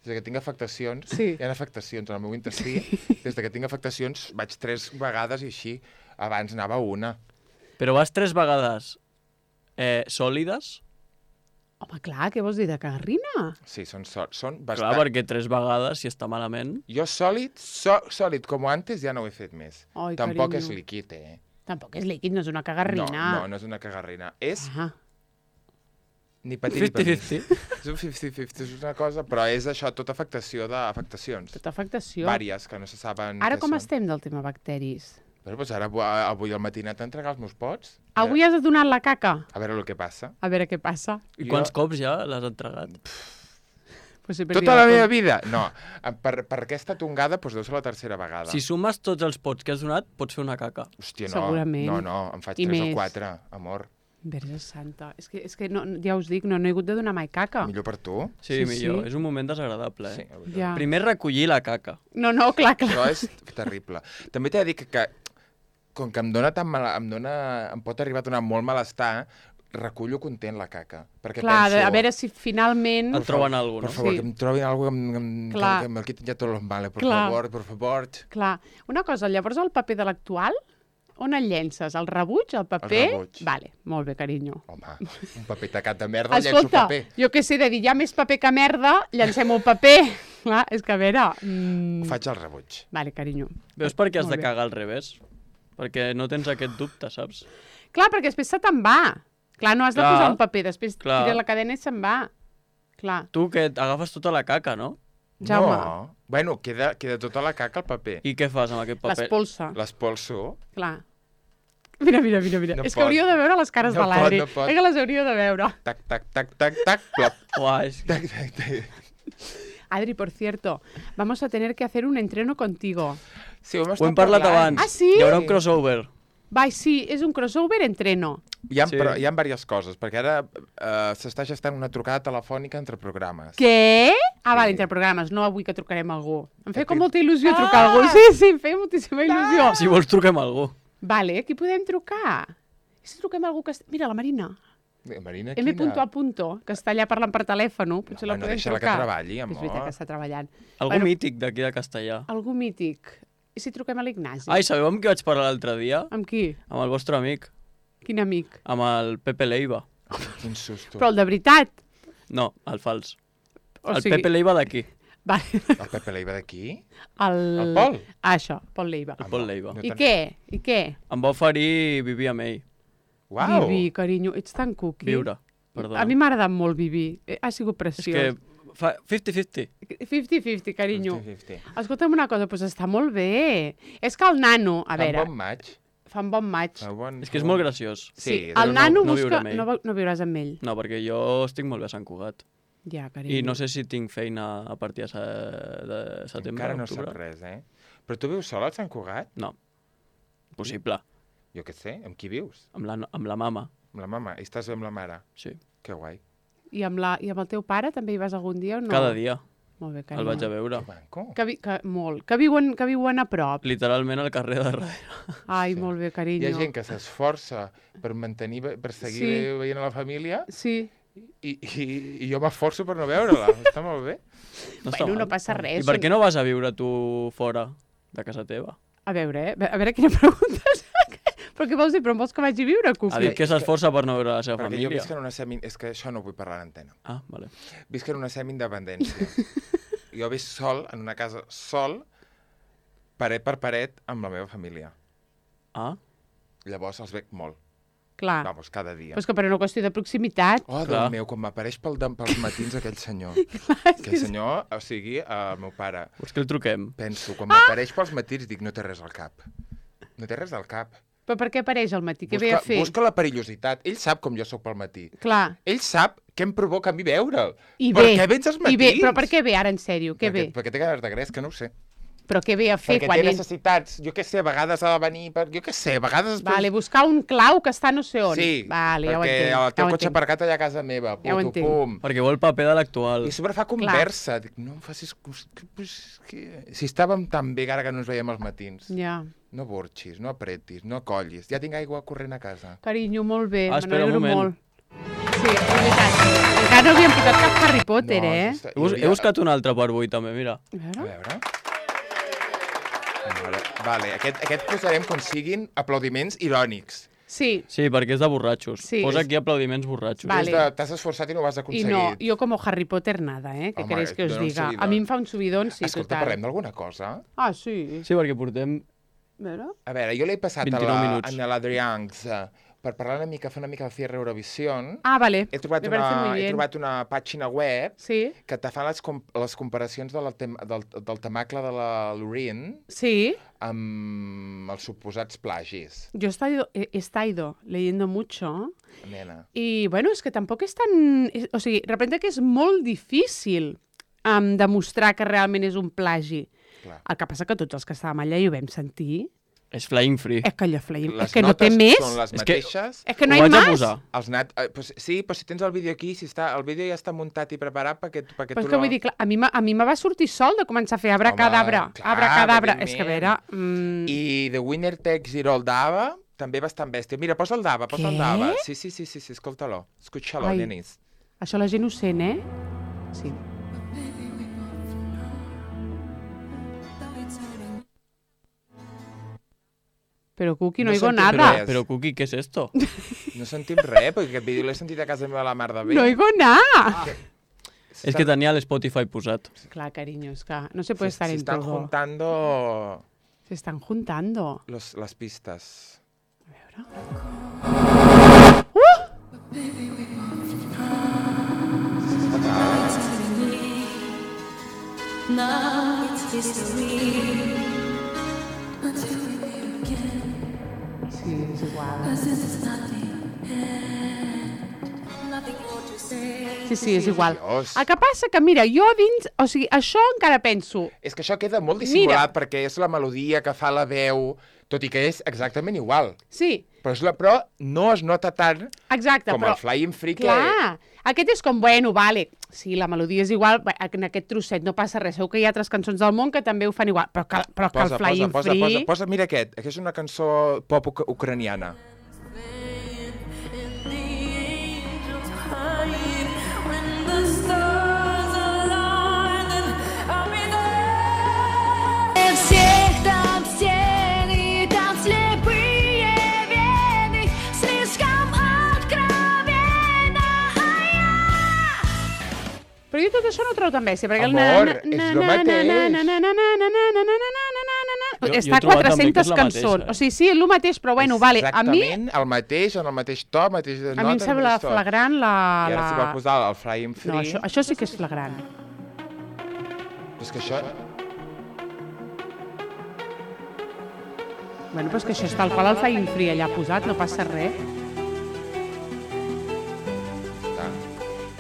des de que tinc afectacions, Sí. hi ha afectacions en el meu intestí, des de que tinc afectacions vaig tres vegades i així, abans anava una. Però vas tres vegades eh, sòlides? Home, clar, què vols dir de cagarrina? Sí, són, so, són Clar, bastant... perquè tres vegades, si està malament... Jo sòlid, so, sòlid com antes ja no ho he fet més. Ai, Tampoc carinyo. és líquid, eh? Tampoc és líquid, no és una cagarrina. No, no, no és una cagarrina. És Ah, ni petit ni cinquanta petit. cinquanta. És un cinquanta cinquanta, és una cosa, però és això, tota afectació d'afectacions. tota afectació. Vàries, que no se saben Ara què com són. estem del tema bacteris? Però, doncs ara, avui- avui al matí he anat a entregar els meus pots. Avui has donat la caca? A veure el que passa. A veure què passa. I Jo- quants cops ja l'has entregat? Pues he Tota perdido la la meva compta. vida? No. Per, per aquesta tongada, doncs deu ser la tercera vegada. Si sumes tots els pots que has donat, pots fer una caca. Hòstia, no. Segurament. No, no, em faig I tres més. o quatre, amor. Verge Santa. És que, és que no, ja us dic, no, no he hagut de donar mai caca. Millor per tu. Sí, Sí, millor. sí. És un moment desagradable, Sí, eh? la veritat. Ja. Primer recollir la caca. No, no, clar, clar. Això és terrible. També t'he de dir que, que com que em dona tan mal, em, dona, em pot arribar a donar molt malestar, recullo content la caca. Perquè Clar, penso... a veure si finalment... Et troben alguna Per cosa, no? favor, Sí. que em trobin alguna cosa que, em- que, Clar. que me'l quiten ja tots los males. Per Clar. favor, per favor. Clar, una cosa, llavors el paper de l'actual, on el llences? El rebuig, el paper? El rebuig. Vale, molt bé, carinyo. Home, un paper tacat de merda, llenço Escolta, paper. jo què sé, de dir, hi ha més paper que merda, llancem un paper. Clar, és que a veure... Mm... Faig el rebuig. Vale, carinyo. Veus per què has Molt de bé. cagar al revés? Perquè no tens aquest dubte, saps? Clar, perquè després se te'n va. Clar, no has de Clar. posar un paper, després Clar. tires la cadena i se'n va. Clar, Tu que agafes tota la caca, no? Jaume, No. Bueno, queda, queda tota la caca al paper. I què fas amb aquest paper? l'espolsa. L'espolso. Clar. Mira, mira, mira, mira. No és pot. que hauríeu de veure les cares No de l'Adri. pot, no pot. És que les hauríeu de veure. Tac, tac, tac, tac, tac, plop. Uah, és... Tac, tac, tac. Adri, por cierto, vamos a tener que hacer un entreno contigo. Sí, ho hem, Ho estat hem parlat parlant. abans. Ah, sí? Hi haurà un crossover. Vai, sí, és un crossover entreno. Hi ha, Sí. però, hi ha diverses coses, perquè ara uh, s'està gestant una trucada telefònica entre programes. Què? Ah, Sí. vale, entre programes, no avui que trucarem a algú. Em feia Aquí- com molta il·lusió trucar a Ah! algú. Sí, sí, em feia moltíssima il·lusió. Si vols, truquem a algú. Vale, aquí podem trucar. I si truquem a algú que... est- Mira, la Marina. Marina, M. quina? a punto, que està allà parlant per telèfon. Potser Home, la no podem deixa-la que trucar. treballi, És veritat amor. que està treballant. Algú Bueno. mític d'aquí de Castellà. Algú mític. I si truquem a l'Ignasi? Ai, sabeu amb qui vaig parlar l'altre dia? Amb qui? Amb el vostre amic. Quin amic? Amb el Pepe Leiva. Quin susto. Però el de veritat. No, el fals. O el sigui... Pepe Leiva d'aquí. Vale. El Pepe Leiva d'aquí? El... El Pol? Ah, això, Pol Leiva. El Pol Leiva. No I te'n- què? I què? Em va oferir vivir amb ell. Uau! Vivi, carinyo, ets tan cookie. Viure, perdona. A mi m'ha agradat molt Vivi. Eh, Ha sigut És preciós. que fa cinquanta cinquanta. cinquanta cinquanta, carinyo. cinquanta cinquanta. Escolta'm una cosa, doncs està molt bé. És que el nano, a Fa un veure, bon maig. fa un bon maig. Fa bon... És que és molt graciós. Sí, el però nano no, no busca... viure amb ell. no, va- no viuràs amb ell. No, perquè jo estic molt bé a Sant Cugat. Ja, carinyo. I no sé si tinc feina a partir de, se... de setembre, Encara no octubre. sap res, eh? Però tu vius sol al Sant Cugat? No. Possible. Jo què sé, amb qui vius? Amb la, amb la mama, Amb la mama? I estàs amb la mare? sí. Que guai. I amb, la, I amb el teu pare també hi vas algun dia o no? Cada dia Molt bé, el carinyo. vaig a veure. Que manco. Que, vi, que, molt. Que viuen, que viuen a prop. Literalment al carrer de darrere. Ai, Sí. molt bé, Hi carinyo. ha gent que s'esforça per mantenir, per seguir Sí. veient a la família Sí. i, i, i jo m'esforço per no veure-la. Està molt bé. No està Bueno, mal. no passa res. I per què no vas a viure tu fora de casa teva? A veure, eh? A veure quina pregunta és. Però què vols dir? Però em vols que vagi a viure, Ha Cuqui? dit que s'esforça per no veure la seva Perquè jo família. visc en una semi... És que això no vull parlar a l'antena. Ah, vale. Visc en una semi-independència. Jo visc sol, en una casa sol, paret per paret, amb la meva família. Ah, Llavors els veig molt. Clar. Vamos, cada dia. Però és que per una qüestió de proximitat... Oh, Clar. Déu meu, quan m'apareix pel, dem- pels matins aquell senyor. Aquell senyor, o sigui, el meu pare. vols que el truquem? Penso, quan m'apareix pels matins, dic, no té res al cap. No té res al cap. Però per què apareix al matí? Què ve Busca, a fer? busca la perillositat. Ell sap com jo sóc pel matí. Clar. Ell sap què em provoca a mi veure'l. I per bé. què vens als I matins? bé. Però per què ve, ara, en sèrio? Què perquè, ve? perquè té ganes de gresca, no ho sé. Però què ve a fer Perquè quan té ell... necessitats. Jo què sé, a vegades ha de venir... Per... Jo què sé, a vegades... Vale, buscar un clau que està no sé on. Sí, vale, ja ho perquè entenc. el teu ja ho cotxe entenc. aparcat allà a casa meva. Ja ho Puto, entenc. pum. Perquè vol paper de l'actual. I a sobre fa conversa. Dic, no em facis... que- pues, que... Si estàvem tan bé ara que no ens veiem als matins. Ja. No borxis, no apretis, no collis. Ja tinc aigua corrent a casa. Carinyo, molt bé. Ah, Me espera un n'alegro moment. molt. Sí, és veritat. Encara no havíem posat cap Harry Potter, no, eh? està- He, bus hi he hauria- buscat un altre per avui, també, mira. A A veure. veure... A veure, Vale, aquest, aquest posarem com siguin aplaudiments irònics. Sí, Sí, perquè és de borratxos. Sí. Posa aquí aplaudiments borratxos. Vale. És de- T'has esforçat i no ho has i aconseguit. no, jo com Harry Potter nada, eh? Què Home, queréis que us dona un diga? subidón. A mi em fa un subidón, sí, Escolta, total. parlem d'alguna cosa? Ah, sí. Sí, perquè portem... A veure. A veure, jo l'he passat a vint-i-nou la, minuts. a l'Adrians uh, per parlar una mica, fer una mica de cierre Eurovision. Ah, vale. He trobat, Me parece una, muy he bien. trobat una pàgina web Sí, que te fa les, com les comparacions de la tem del, del temacle de la Loreen sí. amb els suposats plagis, Yo he estado, he, he estado leyendo mucho nena. y, bueno, es que tampoc és tan... és- O sigui, repente que és molt difícil um, demostrar que realment és un plagi. Clar. El que passa que tots els que estàvem allà i ho vam sentir, És Flying Free. És que allò Flying... Les És que no té notes més. són les És que- mateixes. És que no Ho hi ha vaig a més. posar. Els nat... eh, pues, sí, però si tens el vídeo aquí, si està... el vídeo ja està muntat i preparat perquè, tu- perquè Però tu és que vull dir, clar, a mi, me- a mi me va sortir sol de començar a fer abracadabra. Home, clar, Abracadabra. És que a veure... evidentment. Mm, I The Winner Takes It All d'Ava també bastant bèstia. Mira, posa el d'Ava, posa Què? el d'Ava. Sí, sí, sí, sí, sí escolta-lo. Escucha-lo, Ai. nenis. això la gent ho sent, eh? Sí. Però, Cuqui, no, No oigo sentim nada. res. Però, Cuqui, què és esto? No sentim res, perquè aquest vídeo l'he sentit a casa meva la mar de bé. No oigo nada. És que tenia l'Spotify posat. Clar, cariño, es que no se puede estar se en están todo. juntando Se están juntando. los, las pistas. Now it's history. Sí, és igual. Sí, sí, és igual. Dios. El que passa que, mira, jo dins... O sigui, això encara penso... És que això queda molt dissimulat perquè és la melodia que fa la veu, tot i que és exactament igual. Sí, Però, és la, però no es nota tant exacte, com però... el Flying Free que... Clar, aquest és com, bueno, vale, sí, la melodia és igual, bé, en aquest trosset no passa res, segur que hi ha altres cançons del món que també ho fan igual, però que, però que Posa, el Flying posa, posa, Free... posa, posa, mira aquest, que és una cançó pop uc ucraniana. Всех там стены, там слепые вены, слишком откровенно, а я... Però jo tot això no ho trobo tan bèstia, perquè... el Amor, na- na- és na- lo na- mateix. na- na- na- na- na- na- na- na- na- na- na- na- na- Jo- jo Està he trobat també que quatre-centes és la cançons. mateixa, eh? O sigui, sí, és el mateix, però bueno, És vale. A mi, exactament el mateix, en el mateix to, mateix de a mi em nota, sembla mateix to. flagrant la... I ara la... s'hi va posar el Flying Free. No, això, això sí que és flagrant. És que això... Bueno, però és que això és tal qual el Flying Free allà posat, no passa res. Està.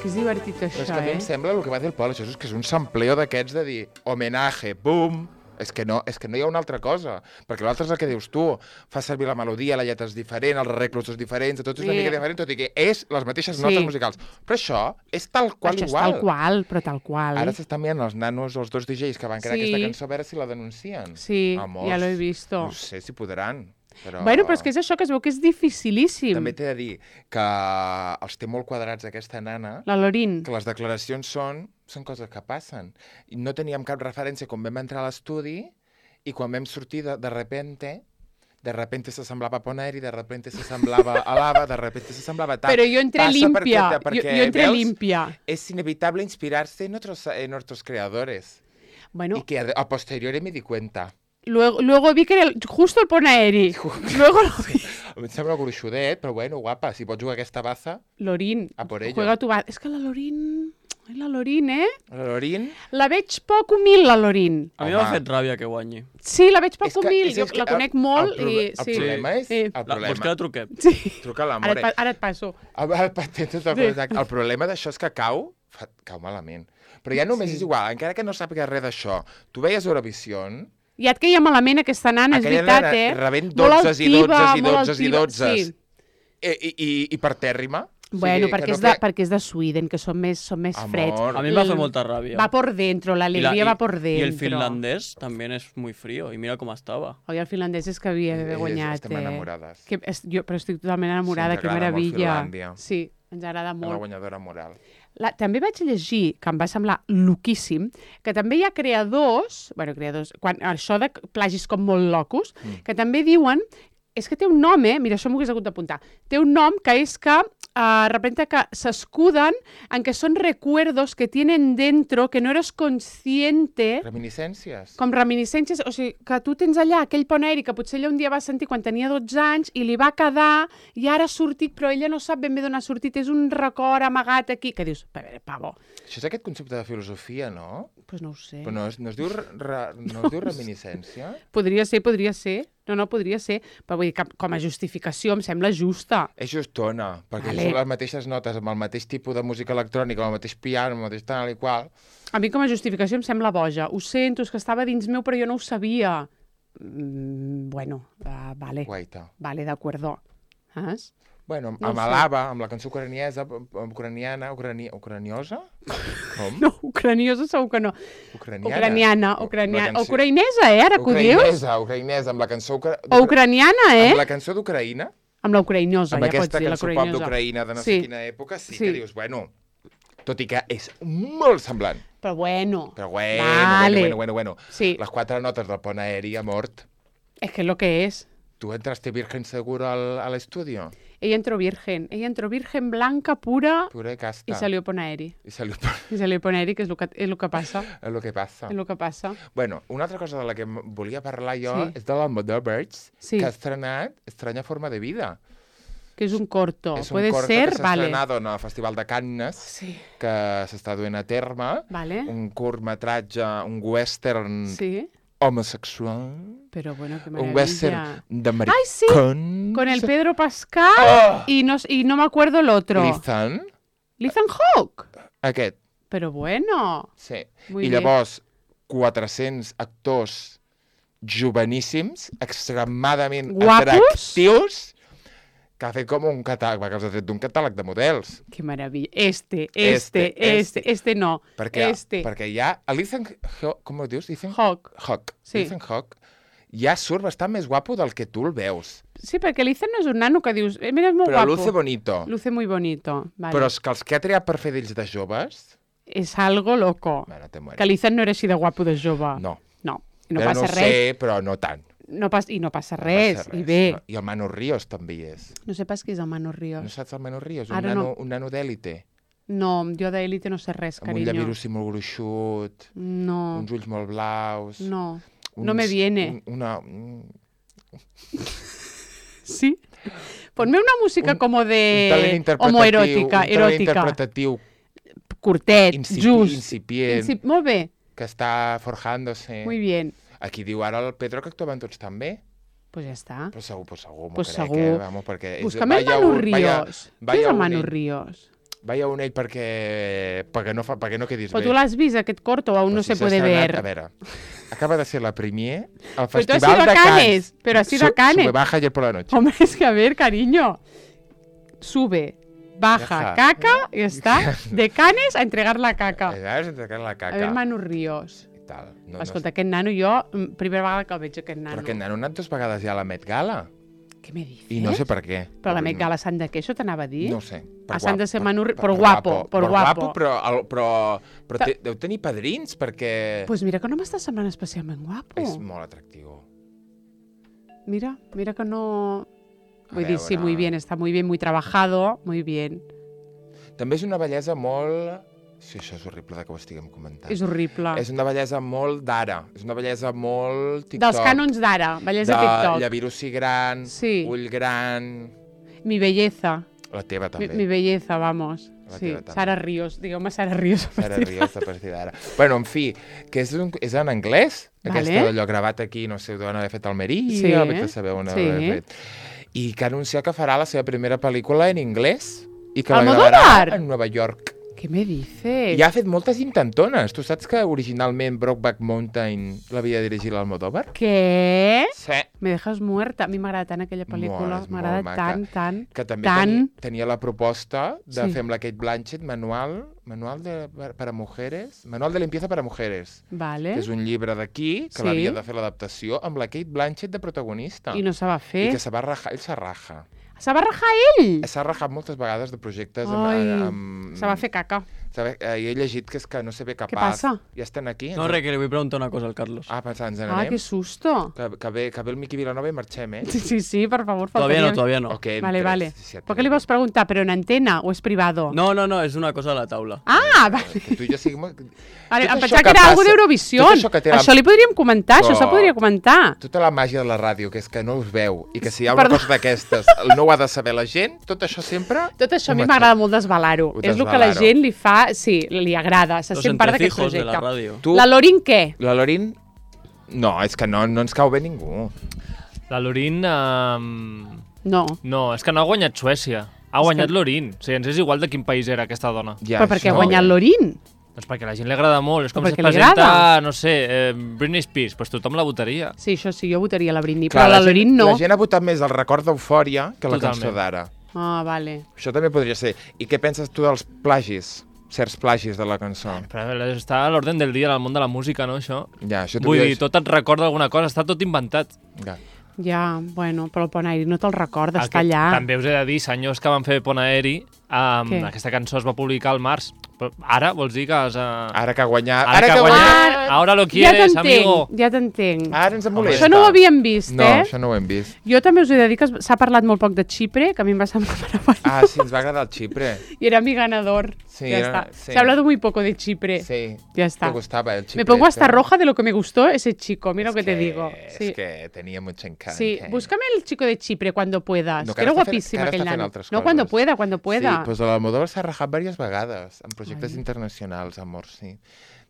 Que és divertit Però és això, que a mi eh? em sembla el que va dir el Pol, això és que és un sampleo d'aquests de dir homenatge, bum, és que, no, és que no hi ha una altra cosa, perquè l'altre és el que dius tu, fa servir la melodia, la lletra és diferent, els arreglos són diferents, tot és una Sí. mica diferent, tot i que és les mateixes Sí. notes musicals. Però això és tal qual Això és igual. tal qual, però tal qual. Ara s'estan mirant els nanos, els dos D Js que van crear Sí. aquesta cançó, a veure si la denuncien. Sí, Amors, ja l'he vist. No sé si podran, però... Bueno, però és que és això, que es veu que és dificilíssim. També t'he de dir que els té molt quadrats aquesta nana, La Lorin. que les declaracions són, són coses que passen. I no teníem cap referència quan vam entrar a l'estudi i quan vam sortir de, de repente, de repente s'assemblava a Poneri, de repente s'assemblava a Lava, de repente s'assemblava a tal. Però jo entré Passa limpia, perquè- perquè, jo, jo entré veus, limpia. Es inevitable inspirarse en otros, en otros creadores. Bueno, Y que a, a posteriori me di cuenta. luego, luego vi que era el- justo el Ponaeri. Luego lo vi. Em sembla gruixudet, però bueno, guapa, si pots jugar a aquesta baza, Lorin, A por ello. juega tu va... És que la Lorin... És la Lorin, eh? la Lorin... La veig poc humil, la Lorin. A mi Home. m'ha fet ràbia que guanyi. Sí, la veig poc És que- humil. és- Jo és que la conec el- molt el proble- i... El Sí. problema és... Sí. El La, problema... vols que la truquem? Sí. Truca a Ara, l'amore. et, pa- ara et passo. El, el, patent, tot el, Sí. sí. el problema d'això és que cau, fa, cau malament. Però ja només Sí. és igual, encara que no sàpiga res d'això. Tu veies Eurovision, Ja et queia malament aquesta nana, és aquella veritat, nena eh? rebent Molt dotze i altiva, dotze i molt dotze i altiva, dotze sí. i, i, i, i per tèrrima. Bueno, o sigui, perquè, que és no de, feia- perquè és de Sweden, que són més, són més Amor. freds. A mi em va fer El- molta ràbia. Va por dentro, la I alegría i- va por dentro. I el finlandès també és muy frío, i mira com estava. Oi, el finlandès és que havia d'haver Eh, guanyat, estem eh? enamorades. Que, és, jo, però estic totalment enamorada, ens que agrada molt meravella. Finlàndia. Sí, ens agrada La molt. guanyadora moral. La, també vaig llegir, que em va semblar loquíssim, que també hi ha creadors, bueno, creadors, quan, això de plagis com molt locos, mm. que també diuen, és que té un nom, eh? Mira, això m'ho hagués hagut d'apuntar. Té un nom que és que, uh, de repente, que s'escuden en que són recuerdos que tienen dentro que no eres consciente, Reminiscències. com reminiscències, o sigui, que tu tens allà aquell Poneri que potser ella un dia va sentir quan tenia dotze anys i li va quedar i ara ha sortit, però ella no sap ben bé d'on ha sortit, és un record amagat aquí, que dius, a veure, pavo, Això és aquest concepte de filosofia, no? doncs pues no ho sé. Però no es, no es diu, re, re- no es diu reminiscència? Podria ser, podria ser. No, no, podria ser. Però vull dir que com a justificació em sembla justa. És justona, perquè Vale. són les mateixes notes, amb el mateix tipus de música electrònica, amb el mateix piano, amb el mateix tal i qual. A mi com a justificació em sembla boja. Ho sento, és que estava dins meu, però jo no ho sabia. Mm, bueno, uh, vale. Guaita. Vale, de acuerdo. Saps? Bueno, No amb ho sé. Alaba, amb la cançó ucraniesa, ucraniana, ucrani, ucraniosa? Com? No, ucraniosa segur que no. Ucraniana. Ucraniana, La ucraniana. cançó- Ucraïnesa, eh, ara que ho dius? Ucraïnesa, ucraïnesa, amb la cançó... Ucra... O ucraniana, eh? Amb la cançó d'Ucraïna, Amb la ucraïnosa, amb ja pots aquesta dir, la cançó pop ucraïnosa. d'Ucraïna de no Sí. sé quina època, sí, Sí. que dius, bueno, tot i que és molt semblant. Però bueno. Però bueno, Vale. bueno, bueno, bueno. Sí. Les quatre notes del pont aeri ha mort. Es que es lo que es. ¿Tú entraste virgen seguro al, al estudio? Ella entró virgen. Ella entró virgen blanca, pura, Pura y casta. y salió Ponaeri. Y salió... Y salió Ponaeri, que és el que, és el que passa. és el que passa. És el que passa. Bueno, una altra cosa de la que m- volia parlar jo Sí. és de l'Almodóvers, Sí. que ha estrenat Estranya forma de vida. Que és un corto. és un Puede corto ser, que s'ha vale. estrenat en el Festival de Cannes, Sí. que s'està duent a terme. Vale. Un curtmetratge, un western Sí. homosexual. Pero bueno, qué Un maravilla. western d'americans. Ay, sí. Con el Pedro Pascal Ah. y, no, y no me acuerdo el otro. Ethan, Ethan Hawke. aquest, Pero bueno. sí. Muy I bien. llavors, quatre-cents actors joveníssims, extremadament Guapos. atractius, que ha fet com un catàleg, que els ha tret d'un catàleg de models. Qué maravilla. Este, este, Este, este, este, no. Perquè, Este. perquè hi ha... L'Ethan Hawke, com ho dius? Ethan Hawke. Hawke. Sí. Ethan Hawke ja surt bastant més guapo del que tu el veus. Sí, perquè l'Ethan no és un nano que dius, eh, mira, és molt Però guapo. luce bonito. Luce muy bonito. Vale. Però és que els que ha triat per fer d'ells de joves... És algo loco. Bueno, te mueres. Que l'Ethan no era així de guapo de jove. No. No, i no Però passa no res. sé, però no tant. No pas, I no passa No res. passa I bé. No. I el Manu Ríos també hi és. No sé pas qui és el Manu Ríos. No saps el Manu Ríos? Un Ara nano, no. un nano d'èlite. No, jo d'élite no sé res, Amb un carinyo. llavirussi molt gruixut, No, uns ulls molt blaus... no. uns, No me viene. Un, una, un, Sí? Ponme una música Un- como un talent de interpretatiu, homoeròtica, un talent eròtica. interpretatiu Curtet, incipi, just. incipient, Incip... Molt bé, que està forjándose. muy bien. Aquí diu ara el Pedro que actuaven tots tan bé. Pues ja està. Pues segur, pues segur, m'ho Pues crec, segur. eh? Vamos, perquè és- Búscame el vaya Manu un- vaya- Ríos. Qui és vaya el un Manu ell. Ríos? Vaya un ell perquè, perquè, no, fa, perquè no quedis Però bé. tu l'has vist, aquest corto, o aún no Pues si se s'ha puede estrenat, ver? A veure, acaba de ser la premier al Pero tú has Festival ido a de Cannes, Cannes. pero has ido a Su- Cannes. Sube, baja ayer por la noche. Hombre, es que a ver, cariño. Sube, baja, Deja. caca, y está. De Canes a entregar la caca. Eh, Has entregat la A caca. ver, Manu Ríos. I tal. No, Escolta, no, aquest nano, jo, mm, primera vegada que el veig, aquest sé. nano. Però aquest nano ha anat dues vegades ja a la Met Gala. Què me dices? I no sé per què. Però la Met Gala s'han de què, això t'anava a dir? No ho sé. Per Ah, s'han de guap- ser per- Manu Ri- per- per per guapo, per guapo. però, el, però, però Ta- té, deu tenir padrins perquè Pues mira que no m'està semblant especialment guapo. és molt atractiu. Mira, mira que no... A Vull dir, sí, veure. muy bien, está muy bien, muy trabajado, muy bien. També és una bellesa molt... Sí, això és horrible de que ho estiguem comentant. És horrible. És una bellesa molt d'ara. És una bellesa molt TikTok. Dels cànons d'ara, bellesa de TikTok. llavirussi gran, Sí. ull gran... Mi belleza. La teva Mi, també. mi belleza, vamos. La Sí, teva també. Sara Ríos. Digueu-me Sara Ríos. a Sara partir Ríos a partir d'ara. Bueno, en fi, que és, un, és en anglès, Vale. aquesta d'allò gravat aquí, no sé d'on haver fet Almeria, Sí, sí, sabeu on sí. haver fet. I que ha anunciat que farà la seva primera pel·lícula en anglès i que la Almodóvar! gravarà en Nova York. Què me dices? I ha fet moltes intentones. Tu saps que originalment Brokeback Mountain l'havia dirigit l'Almodóvar? Què? Sí. Me dejas muerta. A mi m'agrada tant aquella pel·lícula. Molt, és M'agrada molt maca. tant, tant. Que també Tant. tenia, tenia la proposta de Sí. fer amb la Kate Blanchett manual, manual de, per, per a mujeres, manual de limpieza per a mujeres, Vale. que és un llibre d'aquí, que Sí. l'havia de fer l'adaptació, amb la Kate Blanchett de protagonista. I no se va I fer. que se va rajar, ell se raja. Se va rajar ell! S'ha rajat moltes vegades de projectes amb... Ai, amb se va fer caca. Sabe, eh, i he llegit que és que no sé bé capaç. passa? Ja estan aquí? No, res, que li vull preguntar una cosa al Carlos. Ah, pensant, ens Ah, n'anem? que susto. Que, que, ve, que ve el Miqui Vilanova i marxem, eh? Sí, sí, sí, por favor. Todavía no, faltaria- todavía no. O que Vale, entres, vale. si et ¿Por qué le vas a preguntar? ¿Pero en antena o es privado? No, no, no, és una cosa a la taula. Ah, vale. Que tu i jo siguem... Vale, Tot em això pensava que que era passa- algo d'Eurovisió. tot això que té la- Això li podríem comentar, això se Però- podria comentar. Tota la màgia de la ràdio, que és que no us veu, i que si hi ha una Perdó. cosa d'aquestes no ho ha de saber la gent, tot això sempre... Tot això a mi ho m'agrada molt desvelar-ho. Ho És el que la desvelar-ho. gent li fa... Sí, li agrada. Se Los sent part d'aquest entresijos de projecte. la ràdio. Tu, La Lorin què? la Lorin... No, és que no, no ens cau bé ningú. La Lorin... Um... No. No, és que no ha guanyat Suècia. Ha guanyat Lorin. O sigui, ens és igual de quin país era aquesta dona. Ja, Però perquè ha això- guanyat Lorin. Doncs perquè a la gent li agrada molt. És com Però si es perquè li presenta, agrada. no sé, eh, Britney Spears, doncs tothom la votaria. Sí, això sí, jo votaria la Britney, Clar, però la, gent- Lorin no. La gent ha votat més el record d'Eufòria que la Totalment. cançó d'ara. Ah, vale. Això també podria ser. I què penses tu dels plagis? Certs plagis de la cançó. Però està a l'ordre del dia en el món de la música, no, això? Ja, això t'ho Vull dic- dir, tot et recorda alguna cosa, està tot inventat. Ja. Ja, bueno, però el Pont Aeri no te'l recorda, El està que allà. També us he de dir, senyors que van fer Pont Aeri, um, Què? aquesta cançó es va publicar al març. Però ara vols dir que has... Uh... Ara que ha guanyat... Ara que ha guanyat, ahora lo ja quieres, t'entenc, amigo. ja t'entenc. Ara ens molesta. Això no ho havíem vist, No, eh? això no ho hem vist. Jo també us he de dir que es- s'ha parlat molt poc de Xipre, que a mi em va semblar meravellós. Ah, sí, ens va agradar el Xipre. Y era mi ganador. Sí, ya era- está. sí. Se ha hablado muy poco de Chipre. Sí. Ya está. Te gustaba el Chipre. Me pongo hasta este. roja de lo que me gustó ese chico. Mira Es lo que, te digo. Es Sí. que tenía mucho encanto. Sí, búscame el chico de Chipre cuando puedas. No, que que era ara està fent- guapísima que ara aquell està fent nano. altres No, coses. cuando pueda, cuando pueda. Sí, doncs l'Almodóvar s'ha rajat diverses vegades en projectes internacionals, amor, sí.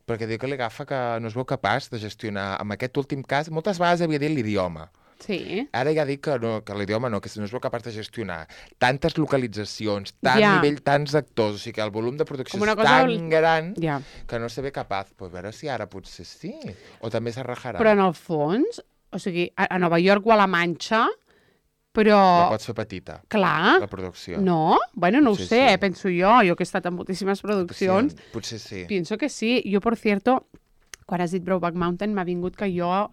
Perquè diu que li agafa que no es veu capaç de gestionar, en aquest últim cas, moltes vegades havia dit l'idioma. Sí. Ara ja dic que, no, que l'idioma no, que no es veu capaç de gestionar tantes localitzacions, tant Ja. nivell, tants actors, o sigui que el volum de producció Com una és cosa tan ol- gran Ja. que no se ve capaç. Pues a veure si ara potser sí, o també se rajarà. Però en el fons, o sigui, a, a Nova York o a la Manxa, La però... pots fer petita, Clar. la producció. No? Bueno, no ho Sí, sé, sí. eh, penso jo. Jo que he estat en moltíssimes produccions. Potser, potser sí. Pienso que sí. Jo, por cierto, quan has dit Brokeback Mountain, m'ha vingut que jo uh,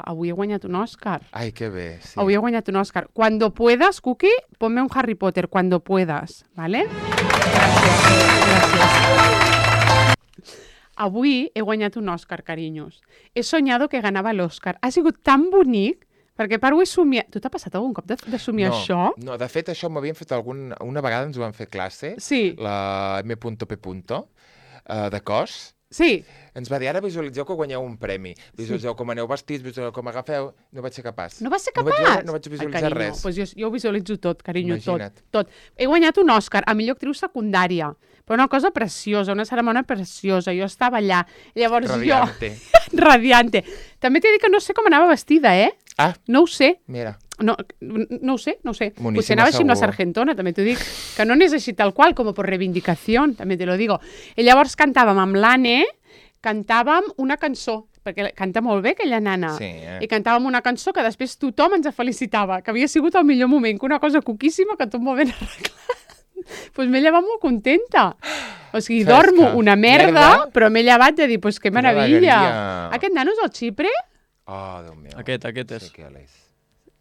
avui he guanyat un Òscar. Ai, que bé, sí. Avui he guanyat un Òscar. Cuando puedas, Cookie, ponme un Harry Potter, cuando puedas, ¿vale? Gràcies. Gràcies. Avui he guanyat un Òscar, carinyos. He soñado que ganava l'Òscar. Ha sigut tan bonic, perquè paro he somiat... Tu t'ha passat algun cop de, de somiar no, això? No, de fet, això m'havien fet algun... Una vegada ens ho van fer classe, Sí. la M P, uh, de cos. Sí. Ens va dir, ara visualitzeu que guanyeu un premi. Visualitzeu com aneu vestits, visualitzeu com agafeu... No vaig ser capaç. No vas ser No vaig, capaç? veure- no vaig visualitzar Ai, carinyo, res. Pues jo, jo ho visualitzo tot, carinyo, Imagina't. tot, tot. He guanyat un Òscar a millor actriu secundària, però una cosa preciosa, una cerimònia preciosa. Jo estava allà. Llavors Radiante. jo... Radiante. També t'he dit que no sé com anava vestida, eh? Ah, No ho sé. mira. No, no ho sé, no ho sé. Moníssima, Potser anava així amb la segur. sargentona, també t'ho dic. Que no n'és així tal qual, com per reivindicació, també te lo digo. I llavors cantàvem amb l'Anne, cantàvem una cançó, perquè canta molt bé aquella nana. Sí, eh? I cantàvem una cançó que després tothom ens felicitava, que havia sigut el millor moment, que una cosa cuquíssima que tot molt ben arreglat. Doncs pues m'he llevat molt contenta. O sigui, Fresca. dormo una merda, Merda. però m'he llevat de dir, pues que Quina meravella. alegria. Aquest nano és el Xipre? Oh, Déu meu. Aquest, aquest és. Sí que l'és.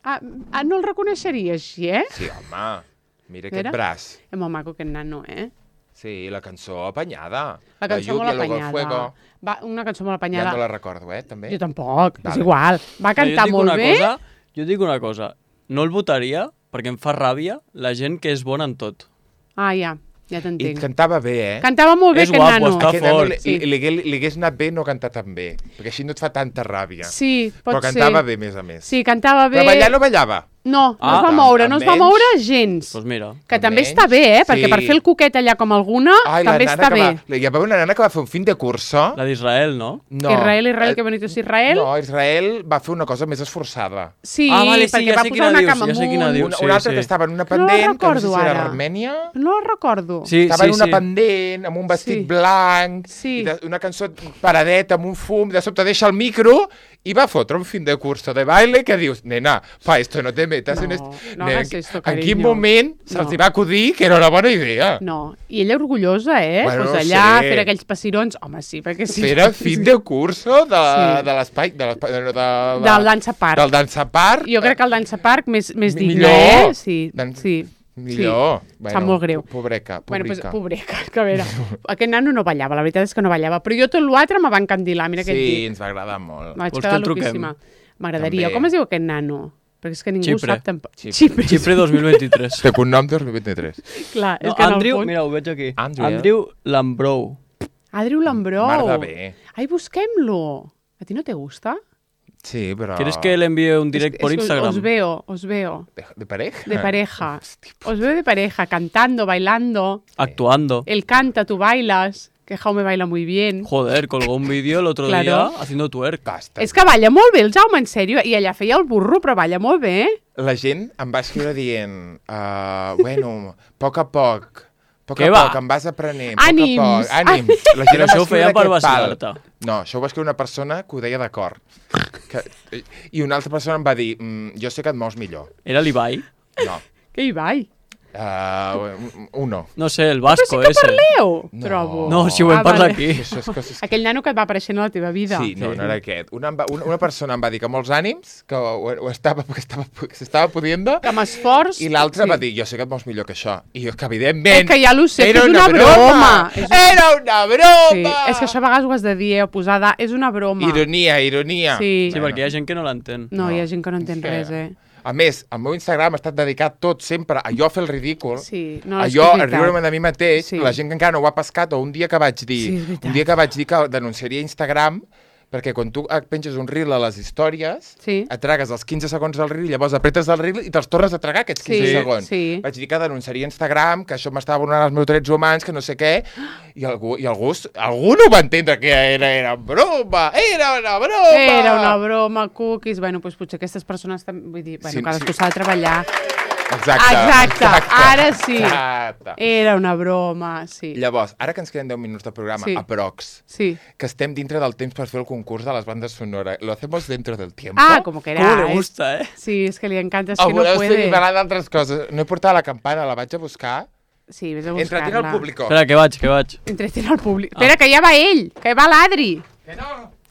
Ah, ah, no el reconeixeria així, eh? Sí, home. Mira aquest Mira. braç. És molt maco aquest nano, eh? Sí, la cançó apanyada. La cançó lluvia, molt luego el apanyada. fuego. Va, una cançó molt Ja apanyada. no la recordo, eh, també. Jo tampoc, Vale. és igual. Va cantar jo dic molt una bé. Cosa, jo dic una cosa. No el votaria perquè em fa ràbia la gent que és bona en tot. Ah, ja, ja I t'entenc. cantava bé, eh? Cantava molt bé És aquest guapo, nano. està Aquest nano fort. li, Sí. li, li, li hagués anat bé no cantar tan bé, perquè així no et fa tanta ràbia. Sí, pot Però ser. cantava bé, a més a més. Sí, cantava bé. Però ballar no ballava. No, no Ah, es va amb- moure, no es va amb moure menys. gens. Doncs mira. Que amb també menys. està bé, eh? Perquè Sí. per fer el coquet allà com alguna, Ai, també la nana està que bé. Va, hi va haver una nana que va fer un fin de curso. La d'Israel, no? No. Israel, Israel, eh, que bonito és Israel. No, Israel va fer una cosa més esforçada. Sí, Ah, vale, sí, perquè ja va sé posar quina una dius, cama ja sé quina amunt. dius. Una, sí, una altra sí. que estava en una No la pendent, que no sé recordo si era ara. Armènia. No la recordo. Sí, Estava sí, en una sí. pendent, amb un vestit Sí. blanc, Sí. i de, una cançó paradeta, amb un fum, de sobte deixa el micro i va fotre un fin de curso de baile que dius, nena, pa esto no te metas No, en esto. no Nena, hagas esto, en cariño. quin moment se'ls No. va acudir que era una bona idea? No, i ella orgullosa, eh? Bueno, pues no allà, sé. fer aquells passirons. Home, sí, perquè sí. Fer el fin de curso de, Sí. de l'espai... De, l'espai- de, de, de, Del Dansa Park. Del Dansa Park. Jo crec que el Dansa Park més, més Mi- digne, millor. eh? Sí, Dan- sí. Millor. Sí. Em sap molt greu. Pobreca, Bueno, pues, pobrica. pobreca, que a veure, aquest nano no ballava, la veritat és que no ballava, però jo tot l'altre me va encandilar, mira què et Sí, dic. ens va agradar molt. Vaig Vols quedar que el truquem? loquíssima. M'agradaria. També. Com es diu aquest nano? Perquè és que ningú Xipre. sap tampoc. Xipre. Xipre. Xipre dos mil vint-i-tres. De cognom dos mil vint-i-tres. Clar, és No, que en el Andrew, fons... mira, ho veig aquí. Andrew. Andrew Lambrou. Adriu Lambrou. Mar de bé. Ai, busquem-lo. A ti no te gusta? Sí, però... ¿Quieres que le envíe un direct Es- por es- Instagram? Os veo, os veo. ¿De, de pareja? De pareja. Hosti, Os veo de pareja, cantando, bailando. Actuando. Él canta, tú bailas. Que Jaume baila muy bien. Joder, colgó un vídeo el otro Claro. día haciendo twerk. basta. És que balla molt bé el Jaume, en sèrio. I allà feia el burro, però balla molt bé. La gent em va escriure dient uh, bueno, a poc a poc, A poc Què a va? poc, em vas aprenent. Ànims. A poc a poc. Ànims. La gent Però em va això ho escriure feia per aquest pal. vacilar-te. No, això ho va escriure una persona que ho deia d'acord. Que... I una altra persona em va dir, mm, jo sé que et mous millor. Era l'Ibai? No. Què hi vai? Uh, uno. No sé, el Vasco, Però sí que ese. parleu, No. trobo. No, si ho vam Ah, parlar vale. aquí. Això és coses... Aquell nano que et va apareixent a la teva vida. Sí, no, no era aquest. Una, em va, una, una persona em va dir que molts ànims, que ho, ho estava, que estava, que s'estava pudiendo, Que m'esforç... i l'altre sí. va dir, jo sé que et mous millor que això. I jo, que evidentment... És que ja lo sé, que era és una broma. És un- Era una broma! Sí, és que això a vegades ho has de dir, eh, posada, és una broma. Ironia, ironia. Sí. Sí, perquè hi ha gent que no l'entén. No, No. hi ha gent que no entén Sí. res, eh? A més, el meu Instagram ha estat dedicat tot sempre a jo fer el ridícul, Sí, no, a és jo que és a veritat. riure-me de mi mateix, Sí. la gent que encara no ho ha pescat, o un dia que vaig dir, Sí, és veritat. un dia que vaig dir que denunciaria Instagram, perquè quan tu et penges un reel a les històries, Sí. et tragues els quinze segons del reel, llavors apretes el reel i te'ls tornes a tragar aquests quinze Sí, segons. sí. Vaig dir que denunciaria Instagram, que això m'estava vulnerant els meus drets humans, que no sé què, i algú, i algú, algú no va entendre que era, era broma, era una broma! Era una broma, cookies... Bueno, doncs potser aquestes persones també... Vull dir, bueno, Sí, cadascú sí. s'ha de treballar. Exacte, Exacte, ara sí. Exacte. Era una broma, sí. Llavors, ara que ens queden deu minuts de programa, Sí. aprox, Sí. que estem dintre del temps per fer el concurs de les bandes sonores. Lo hacemos dentro del tiempo? Ah, como queráis. Com le gusta, eh? Sí, és que li encanta, és O que no voleu puede. seguir parlant d'altres coses? No he portat la campana, la vaig a buscar. Sí, vés a Entretiene buscar-la. al público. Espera, que vaig, que vaig. Entretiene al públic. Espera, que ja va ell, que va l'Adri. Que no!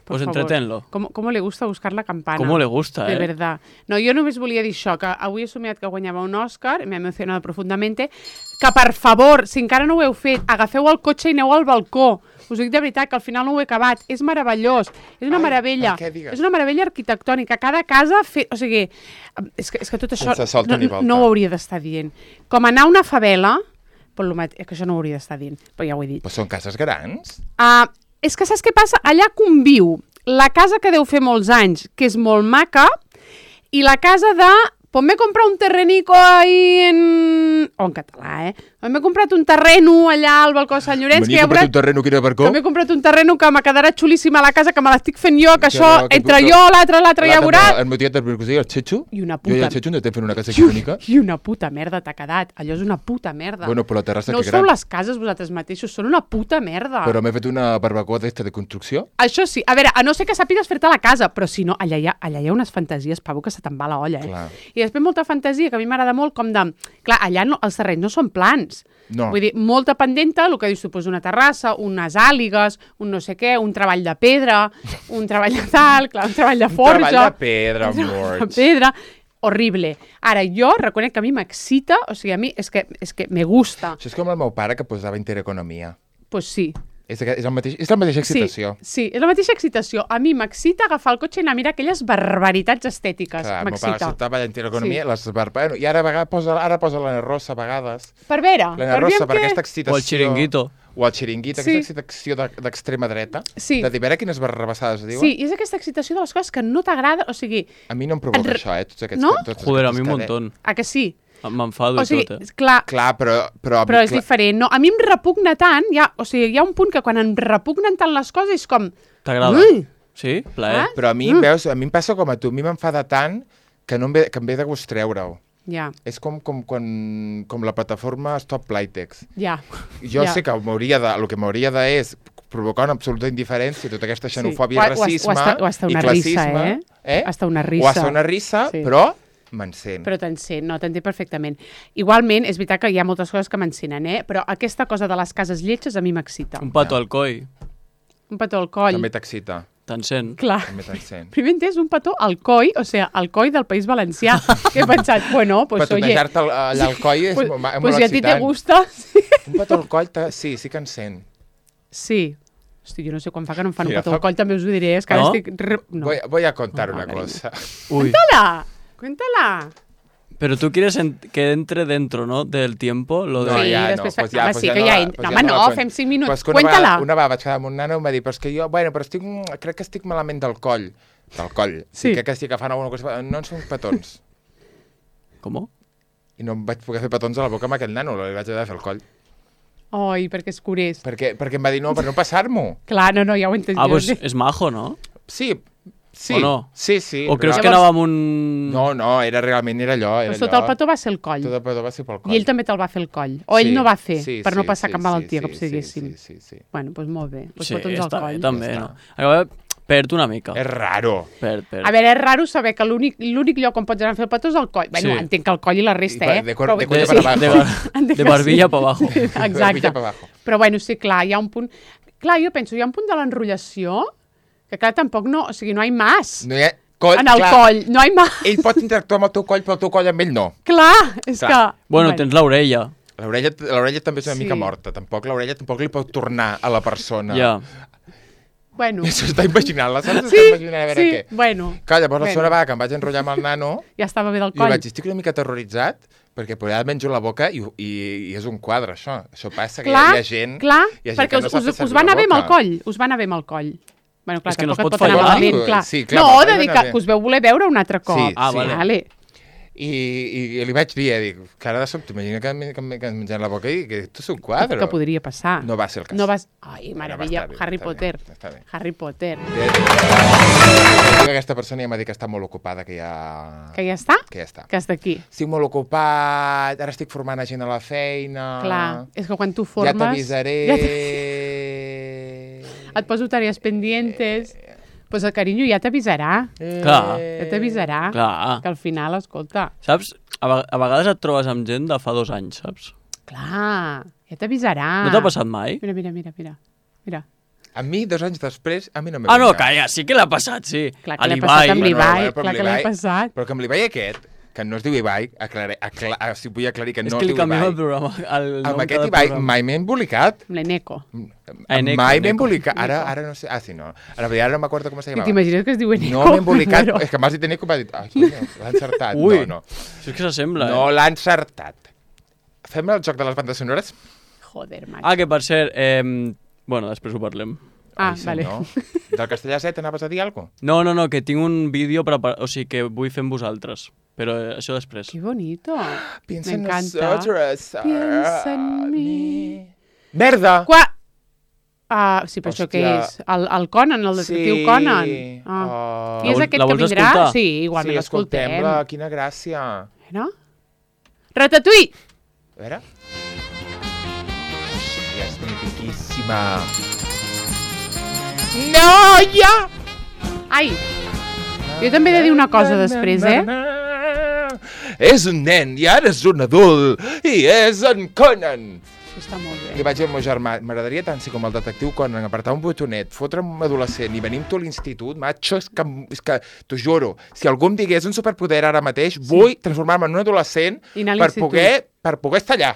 Por Pues favor. entretenlo. ¿Cómo, ¿Cómo le gusta buscar la campana? ¿Cómo le gusta, De eh? verdad. No, jo només volia dir això, que avui he somiat que guanyava un Òscar, m'ha emocionat profundament, que per favor, si encara no ho heu fet, agafeu el cotxe i aneu al balcó. Us dic de veritat que al final no ho he acabat. És meravellós. És una Ai, meravella. per què digues? És una meravella arquitectònica. Cada casa... Fe... O sigui, és que, és que tot això Sense solta no, ni volta. no ho hauria d'estar dient. Com anar a una favela, per lo mate... és que això no ho hauria d'estar dient, però ja ho he dit. Però són cases grans? Uh, és que saps què passa? Allà conviu la casa que deu fer molts anys, que és molt maca, i la casa de... Pues m'he comprat un terrenico ahí en... O en català, eh? M'he comprat un terreno allà al balcó de Sant Llorenç. Venia a comprar un terreno que era per Que m'he comprat un terreno que me quedarà xulíssima la casa, que me l'estic fent jo, que, Que això, no, que entre tu- jo, l'altre, l'altre, ja veuràs. El meu tiet del Mercosí, el Chechu. I una Jo i puta- el Chechu ens estem fent una casa icònica. I una puta merda t'ha quedat. Allò és una puta merda. Bueno, però la terrassa no que us feu gran. les cases vosaltres mateixos, són una puta merda. Però m'he fet una barbacoa d'esta de construcció. Això sí, a veure, a no ser que sàpigues fer-te la casa, però si no, allà hi ha, allà hi ha unes fantasies, Pavo, que se te'n va la olla, eh? Clar. I després molta fantasia, que a mi m'agrada molt, com de... Clar, allà no, els terrenys no són plans. No. Vull dir, molta pendenta, el que dius tu, pues una terrassa, unes àligues, un no sé què, un treball de pedra, un treball de tal, clar, un treball de forja... Un treball de pedra, un treball amor. de pedra, horrible. Ara, jo reconec que a mi m'excita, o sigui, a mi és que, és que me gusta. Això és com el meu pare que posava intereconomia. Pues sí. És, és, el mateix, és la mateixa excitació. Sí, sí, és la mateixa excitació. A mi m'excita agafar el cotxe i anar a mirar aquelles barbaritats estètiques. Clar, el meu pare M'excita. estava a intereconomia, Sí. sí. les bar... bueno, i ara, a vegades posa, ara posa l'Anna Rosa a vegades. Per veure, L'Anna per Rosa, veure per què... aquesta excitació... O el xiringuito. O el xiringuito, Sí. aquesta excitació de- d'extrema dreta. Sí. De dir, a veure quines barrabassades diuen. Sí, i és aquesta excitació de les coses que no t'agrada, o sigui, A mi no em provoca En re- això, eh? Tots aquests, No? Tots Joder, a aquests mi un cade- montón. a que sí? M'enfado O i sigui, tot, eh? clar, Clar, però... Però, però és clar, diferent. No, a mi em repugna tant, ja, o sigui, hi ha un punt que quan em repugnen tant les coses és com... T'agrada? Ui! Sí? Plaer? Ah? Però a mi, mm. veus, a mi em passa com a tu, a mi m'enfada tant que, no em ve, que em ve de gust treure-ho. Ja, És com, com, quan, com la plataforma Stop Playtex. ja. Jo Ja. sé que m'hauria de, el que m'hauria de és provocar una absoluta indiferència, tota aquesta xenofòbia O- i o- o racisme hasta- o hasta i una risa, classisme. eh? Hasta una O risa. hasta una risa, Sí. però m'encén. Però t'encén, no, t'entenc perfectament. Igualment, és veritat que hi ha moltes coses que m'encenen, eh? Però aquesta cosa de les cases lletges a mi m'excita. Un pato al coi. Un petó al coll. També t'excita, T'encén. Clar. també t'encén. Primer entès un petó al coi, o sigui, al coi del País Valencià. Que he pensat, bueno, pues oye... Petonejar-te al- allà al coll és, Pues, mo- és pues molt si a ti te excitant. gusta... Sí. Un petó al coll, te... sí, sí que encén. sí. Hosti, jo no sé quan fa que no em fan Mira, un petó fa- al coll, també us ho diré, és que ara No? estic... re- No. Voy, voy a contar No, una cariño. cosa. Uy. Cuéntala, cuéntala. Pero tú quieres en- que entre dentro, ¿no? Del tiempo, lo de... No, Sí, ja, no, després fa- pues ja, home, pues sí ja que no ja la- ent- pues no, ja home, no no, la fem cuen- cinc minuts. Pues que una Cuéntala. vegada, una vegada vaig quedar amb un nano i em va dir, però és que jo, bueno, però estic, crec que estic malament del coll. Del coll. Sí. I crec que estic agafant alguna cosa... No en són petons. ¿Cómo? I no em vaig poder fer petons a la boca amb aquell nano, li vaig haver de fer el coll. Ai, perquè és curés. Perquè, perquè em va dir, no, per no passar-m'ho. Clar, no, no, ja ho he entès. Ah, jo. pues es majo, ¿no? Sí, Sí, o no? sí, sí. O creus però- que anava amb un... No, no, era realment era allò. Era Doncs tot allò. el petó va ser el coll. Tot el petó va ser pel coll. I ell també te'l va fer el coll. O Sí, ell no va fer, sí, per no sí, passar sí, cap malaltia, sí, com si sí, diguéssim. Sí, sí, sí. Bueno, doncs molt bé. Pues Sí, petons al està coll. bé, també, Ja no? està. Acaba, perd una mica. És raro. Perd, perd. A veure, és raro saber que l'únic l'únic lloc on pots anar a fer el petó és el coll. Bueno, Sí. entenc que el coll i la resta, I pa- eh? de cor- Però- de cuello de, para abajo. de, bar- Entenc de que barbilla sí. para abajo. Exacte. Barbilla pa abajo. Però bueno, sí, clar, hi ha un punt... Clar, jo penso, hi ha un punt de l'enrotllació que clar, tampoc no... O sigui, no hi ha mas. No hi ha... Coll, En el clar, coll, no hi ha mas. Ell pot interactuar amb el teu coll, però el teu coll amb ell no. Clar, és Clar. que... Bueno, tens l'orella. L'orella l'orella també és una Sí. mica morta. Tampoc l'orella tampoc li pot tornar a la persona. Ja. Bueno, S'ho està imaginant, la Sara sí, s'està imaginant a veure sí, què. bueno, Clar, llavors la Bueno. Sora va, que em vaig enrotllar amb el nano, ja estava bé del i li coll. vaig dir, estic una mica aterroritzat, perquè poder menjo la boca i, i, i és un quadre, això. Això passa, que Clar, hi ha, hi ha gent... clar, hi ha gent perquè que us, no sap us, fer us servir va la anar bé amb el boca. coll. Us va anar bé amb el coll. Bueno, clar, És que no es tampoc pot et pot anar fallar. malament, clar. Sí, clar, no, però de va dir anar que, bé. que us veu voler veure un altre cop. Sí, Ah, sí. vale. vale. I, i, i li vaig dir, eh, dic, cara de sobte, imagina que, em- que, em- que em menjant la boca i que esto és un quadre. Que podria passar. No va ser el cas. No vas... Ai, meravella, va estar bé, Harry està Potter. bé, està bé. Harry Potter. Dic que aquesta persona ja m'ha dit que està molt ocupada, que ja... Que ja està? Que ja està. Que has d'aquí. Estic molt ocupat, ara estic formant a gent a la feina... Clar, és que quan tu Ja formes... t'avisaré... Ja t- et poso tarees pendientes... Pues el carinyo ja t'avisarà. Clar. Ja t'avisarà. Clar. Que al final, escolta... Saps? A, ve- a vegades et trobes amb gent de fa dos anys, saps? Clar, ja t'avisarà. No t'ha passat mai? Mira, mira, mira, mira. Mira. A mi, dos anys després, a mi no m'ha Ah, no, passat. calla, sí que l'ha passat, sí. Clar A que l'ha l'Ibai. passat amb Bueno, l'Ibai, bueno, però clar amb que l'ha l'Ibai- passat. Però que amb l'Ibai aquest, que no es diu Ibai, aclaré, acla, ah, si vull aclarir que És no que es li diu canviem el Ibai. programa. El nom Amb aquest cada Ibai programa. mai m'he embolicat. Amb l'Eneco. Ah, Eneco, mai m'he Eneco. embolicat. Ara, Eneco. ara no sé. Ah, sí, no. Ara, ara no m'acordo com se Que llamava. t'imagines que es diu Eneco? No m'he embolicat. Però- És que m'has dit Eneco i m'ha dit... Ai, coño, l'ha encertat. Ui. No, no. Això és que s'assembla, No eh? l'ha encertat. Fem el joc de les bandes sonores? Joder, macho. Ah, que per cert, eh, bueno, després ho parlem. Ah, Ai, sí, vale. No? Del Castellà set anaves a dir alguna cosa? No, no, no, que tinc un vídeo preparat, o sigui, que vull fer amb vosaltres. Però eh, això després. Qué bonito. Piensa en M'encanta. nosotros. Piensa en mi. Merda! Qua... Ah, sí, però això què Hòstia. és? El, el Conan, el detectiu Sí. Conan. Ah. Oh. I és La vol- aquest la que vols vindrà? escoltar? Sí, igualment Sí, l'escoltem. escoltem-la. Quina gràcia. No? Ratatouille! A veure. Ja és mipiquíssima. Noia! Ai, jo també he de dir una cosa després, eh? És un nen i ara és un adult i és en Conan. Això està molt Li bé. vaig dir al meu germà, m'agradaria tant ser com el detectiu Conan, apretar un botonet, fotre un adolescent i venir amb tu a l'institut, macho, és que, és que t'ho juro, si algú em digués un superpoder ara mateix, sí. vull transformar-me en un adolescent I anar a per l'institut. poder, per poder estar allà.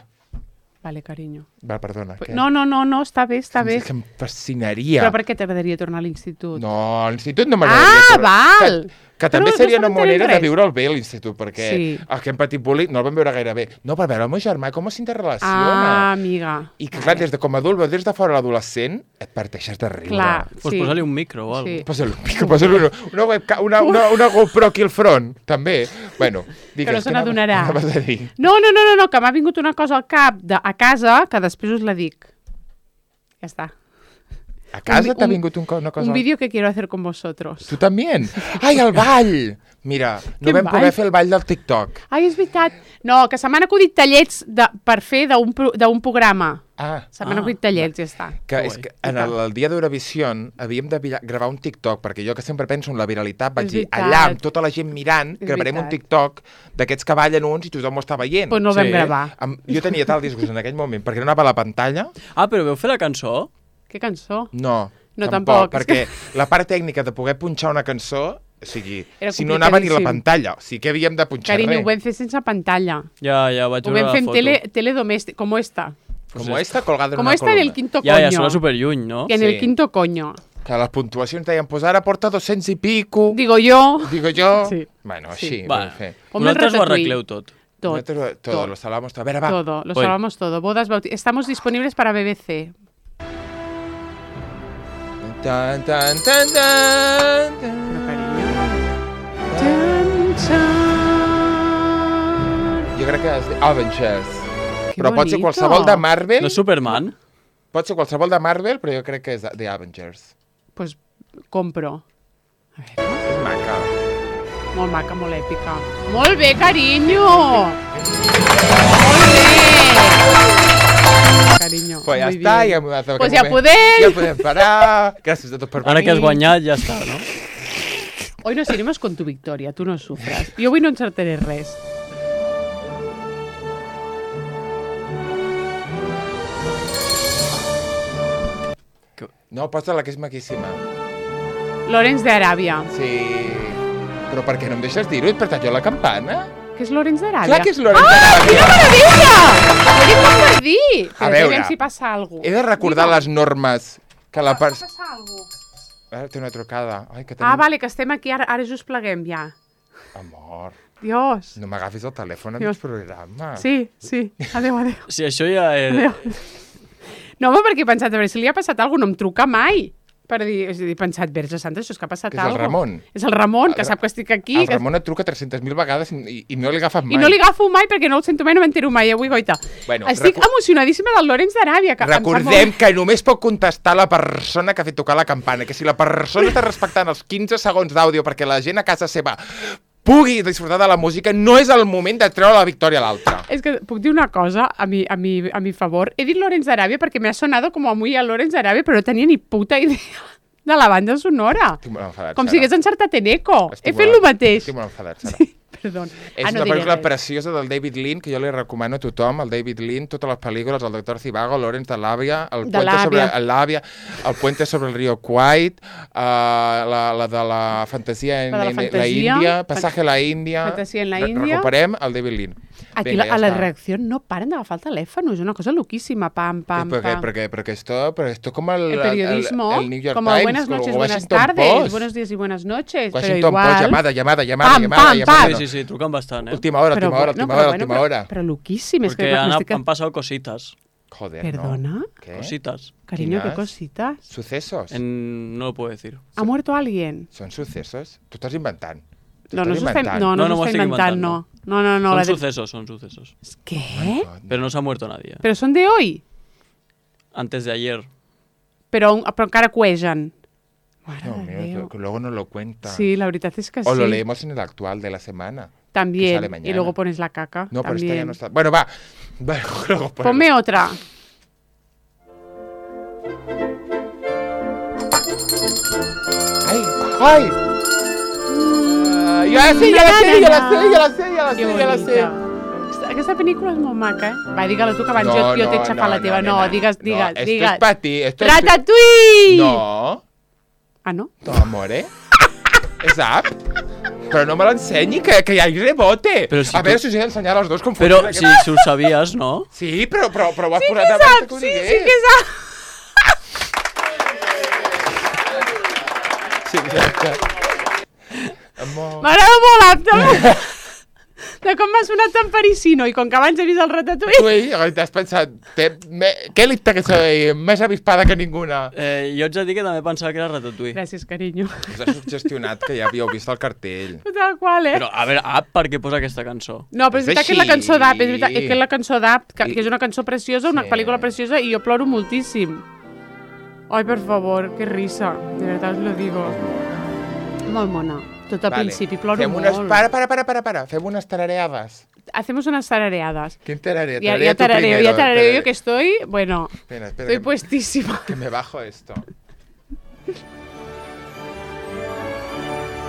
Vale, carinyo. Va, perdona. què? No, no, no, no, està bé, està bé. És que em fascinaria. Però per què t'agradaria tornar a l'institut? No, a l'institut no m'agradaria. Ah, tornar. val! Que, que també Però seria no una s'entenem manera de res. viure'l bé a l'institut, perquè Sí. el que hem patit bullying no el vam veure gaire bé. No, per veure el meu germà com s'interrelaciona. Ah, amiga. I que, clar, des de com a adult, veus des de fora l'adolescent, et parteixes de riure. Clar, Pues sí. posa-li un micro o alguna Sí. cosa. Posa-li un pico, posa-li una, una, webca, una, una, una GoPro aquí al front, també. Bueno, digues, no se què anaves- n'adonarà. què anaves a dir? No, no, no, no, no, que m'ha vingut una cosa al cap de, a casa que després us la dic. Ja està. A casa vi- t'ha un- vingut un, co- una cosa... Un vídeo que quiero hacer con vosotros. Tu també? Ai, el ball! Mira, no Quin vam ball? poder fer el ball del TikTok. Ai, és veritat. No, que se m'han acudit tallets de, per fer d'un pro- d'un programa. Ah, Se m'han Ah, acudit tallets, ja està. que Que és guai. que en el, el dia d'Eurovisió havíem de vira- gravar un TikTok, perquè jo que sempre penso en la viralitat, vaig És dir, veritat. allà amb tota la gent mirant, És gravarem un veritat. TikTok d'aquests que ballen uns i tothom ho està veient. Pues no el vam Sí. gravar. Amb, jo tenia tal disgust en aquell moment, perquè no anava a la pantalla. Ah, però veu fer la cançó? Que cançó? No, No, tampoc, tampoc, és perquè la part tècnica de poder punxar una cançó, o sigui, Era si no anava ni a la complicadíssim. pantalla, o sigui que havíem de punxar Carinyo, ho res. vam fer sense pantalla. Ja, ja, vaig Ho veure vam la fer en foto. tele, teledomèstic, com esta. Com esta colgada en Com una esta en columna. el quinto Ja, coño. ja, sona superlluny, no? En Sí. el quinto coño. Que les puntuacions deien, pues ara porta doscientos i pico. Digo yo. Digo jo. Sí. Bueno, Sí. així, Va, vam fer. Com el vosaltres ho Ratatouille. arregleu tot. Tot. Nosaltres, todo, tot. lo salvamos todo. A ver, va. Todo, lo Voy. salvamos todo. Bodas, bautizos. Estamos disponibles para B B C. Tan, tan, tan, tan, Pero, tan. cariño. Tan, tan. Jo crec que és de Avengers. Que però pot ser bonito. qualsevol de Marvel. No és Superman? Pot ser qualsevol de Marvel, però jo crec que és de, de Avengers. Pues compro. A veure. És maca. Molt maca, molt èpica. Molt bé, carinyo! Molt bé! Carinyo. Pues ja muy està, bien. ja, Pues ja podem. Ja podem parar. Gràcies a tots per venir. Ara que has guanyat, ja està, no? Hoy nos iremos con tu victoria, tu no sufras. Jo avui no encertaré res. No, posa-la, que és maquíssima. Lorenz d'Aràbia. Sí. Però per què no em deixes dir-ho? Per tant, jo la campana? Què és Lorenz d'Aràbia? Clar que és Lorenz Ah, d'Aràbia. quina meravella! Ho he dit com per dir. A Però veure, aviam si passa alguna cosa. He de recordar les normes que la part... Passa alguna cosa. Ara té una trucada. Ai, que tenim... Ah, vale, que estem aquí, ara, ara just pleguem ja. Amor, Dios. no m'agafis el telèfon en Dios. el programa. Sí, sí. Adéu, adéu. Si això ja és... adéu. No, home, perquè he pensat, a veure, si li ha passat alguna cosa, no em truca mai. Per dir, és a dir, he pensat, Verge Santa, això és que ha passat Que és el alguna Ramon. És el Ramon, que El- sap que estic aquí. El que... Ramon et truca tres-centes mil vegades i, i no li agafes mai. I no li agafo mai perquè no el sento mai, no m'entero mai, avui, goita. Bueno, Estic recu- emocionadíssima del Lorenz d'Aràbia. Que em sap Recordem molt... que només pot contestar la persona que ha fet tocar la campana, que si la persona està respectant els quinze segons d'àudio perquè la gent a casa seva pugui disfrutar de la música, no és el moment de treure la victòria a l'altre. És que puc dir una cosa a mi, a mi, a mi favor. He dit Lorenz d'Aràbia perquè m'ha sonado com a muy a Lorenz d'Aràbia, però no tenia ni puta idea de la banda sonora. Estic molt enfadat, Com Sara. si hagués encertat en Eco. Estic He fet molt- el mateix. Estic molt enfadat, Sara. Sí, perdó. És Ah, no una diré pel·lícula res. preciosa del David Lean, que jo li recomano a tothom, el David Lean, totes les pel·lícules, el Doctor Zivago, Lorenz de l'Àvia, el De Puente sobre l'Àvia. l'Àvia, el Puente sobre el río Kwai, uh, la, la de la fantasia en, La de la en la fantasia. Índia, Passatge a la Índia. Fantasia en la Re- Índia. Recuperem el David Lean. Aquí Vinga, la, ja a la està. reacció no paren d'agafar el telèfon, és una cosa loquíssima, pam, pam, Sí, porque, pam. porque, porque esto, pero esto como el, El periodismo, el, el New York como Times, buenas noches, o buenas Washington tardes, Post. buenos días y buenas noches, pero Washington igual... Post, llamada, llamada, llamada, Pam, llamada, pam, llamada. pam. no. Sí, sí, sí, truquen bastant, eh? Última hora, Però última hora, bueno, última però hora, bueno, última però, hora. però loquíssim, és Porque que han, m'estic... han pasado cositas. Joder, Perdona? ¿no? ¿Qué? Cositas. Cariño, qué Quines? cositas. Sucesos. En... No lo puedo decir. ¿Ha muerto alguien? Són sucesos? Tu estàs inventant. Tu No, no estàs s'ho està inventant. no, no, No, no s'ho m'ho està estic inventant, inventant, no. No, no, no. son la de- sucesos, son sucesos. ¿Qué? Pero no se ha muerto nadie. Pero son de hoy. Antes de ayer. Però, però encara cuegen. Mare Dios de mío, Déu. que, que luego no lo cuenta. Sí, la veritat és que sí. O lo leemos en el actual de la semana. que También. sale mañana. Y luego pones la caca. No, pero También. esta ya no está. Bueno, va. Va, luego ponemos. Ponme otra. ¡Ay! ¡Ay! Ah, ya la sé, ya la sé, ya la sé, ya la sé, ya la Que sé, ya la sé. bonica. Aquesta, aquesta pel·lícula és molt maca, eh? Va, digue-la tu, que abans jo, jo t'he xafat la teva. No, nena. digues, digues, no, digues. Esto es para ti. Esto es... Ratatouille! No. Ah, no? No, amore. És app. Però no me l'ensenyi, que, que hi ha rebote. Però si a tu- veure si us he d'ensenyar les dues com Pero funciona si, aquest- si ho sabies, ¿no? Sí, però, però, però ho has Sí posat que abans sap, que ho sí, digués. sí que sap. Sí, exacte. Amor. M'agrada molt apte. De com m'ha sonat tan parisino i com que abans he vist el Ratatouille. Tu t'has pensat, te, me, què li que soy més avispada que ninguna? Eh, jo ets a dir que també pensava que era Ratatouille. Gràcies, carinyo. Us ha suggestionat que ja havíeu vist el cartell. Tal qual, eh? Però, a veure, app, per què posa aquesta cançó? No, però és És veritat que és la així. cançó d'App, és veritat que és la cançó d'App, que, I- que és una cançó preciosa, una Sí. pel·lícula preciosa, i jo ploro moltíssim. Ai, per favor, que risa. De veritat us lo digo. Molt mona. Tot al principi, ploro Fem molt. unes... Para, para, para, para, para. Fem unes tarareades. Hacemos unas tarareadas. ¿Quién tararea? Ya, Tararea ya tú tarareo, primero, ya tarareo tararea. yo que estoy, bueno, Espera, espera, estoy que, puestísima. que me bajo esto.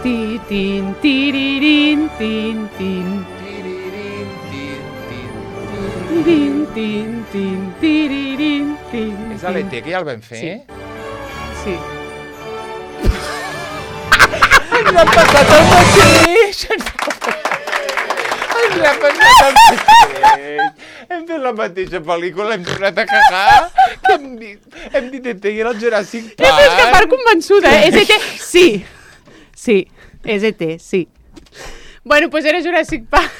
Ti, tin, tirirín, tin, tin. Tirirín, tin, tin. Tin, tin, tin, tirirín, tin, És a l'E tin. T, que ja el vam fer? Sí. Sí. Ens l'ha passat el mateix! Ens l'ha passat el mateix! Hem fet la mateixa pel·lícula, hem tornat a cagar, que hem dit, hem dit E T i era el Jurassic Jo és que part Park. convençuda, eh? És E T? Sí. Sí, és E T, sí. Bueno, pues era Jurassic Park.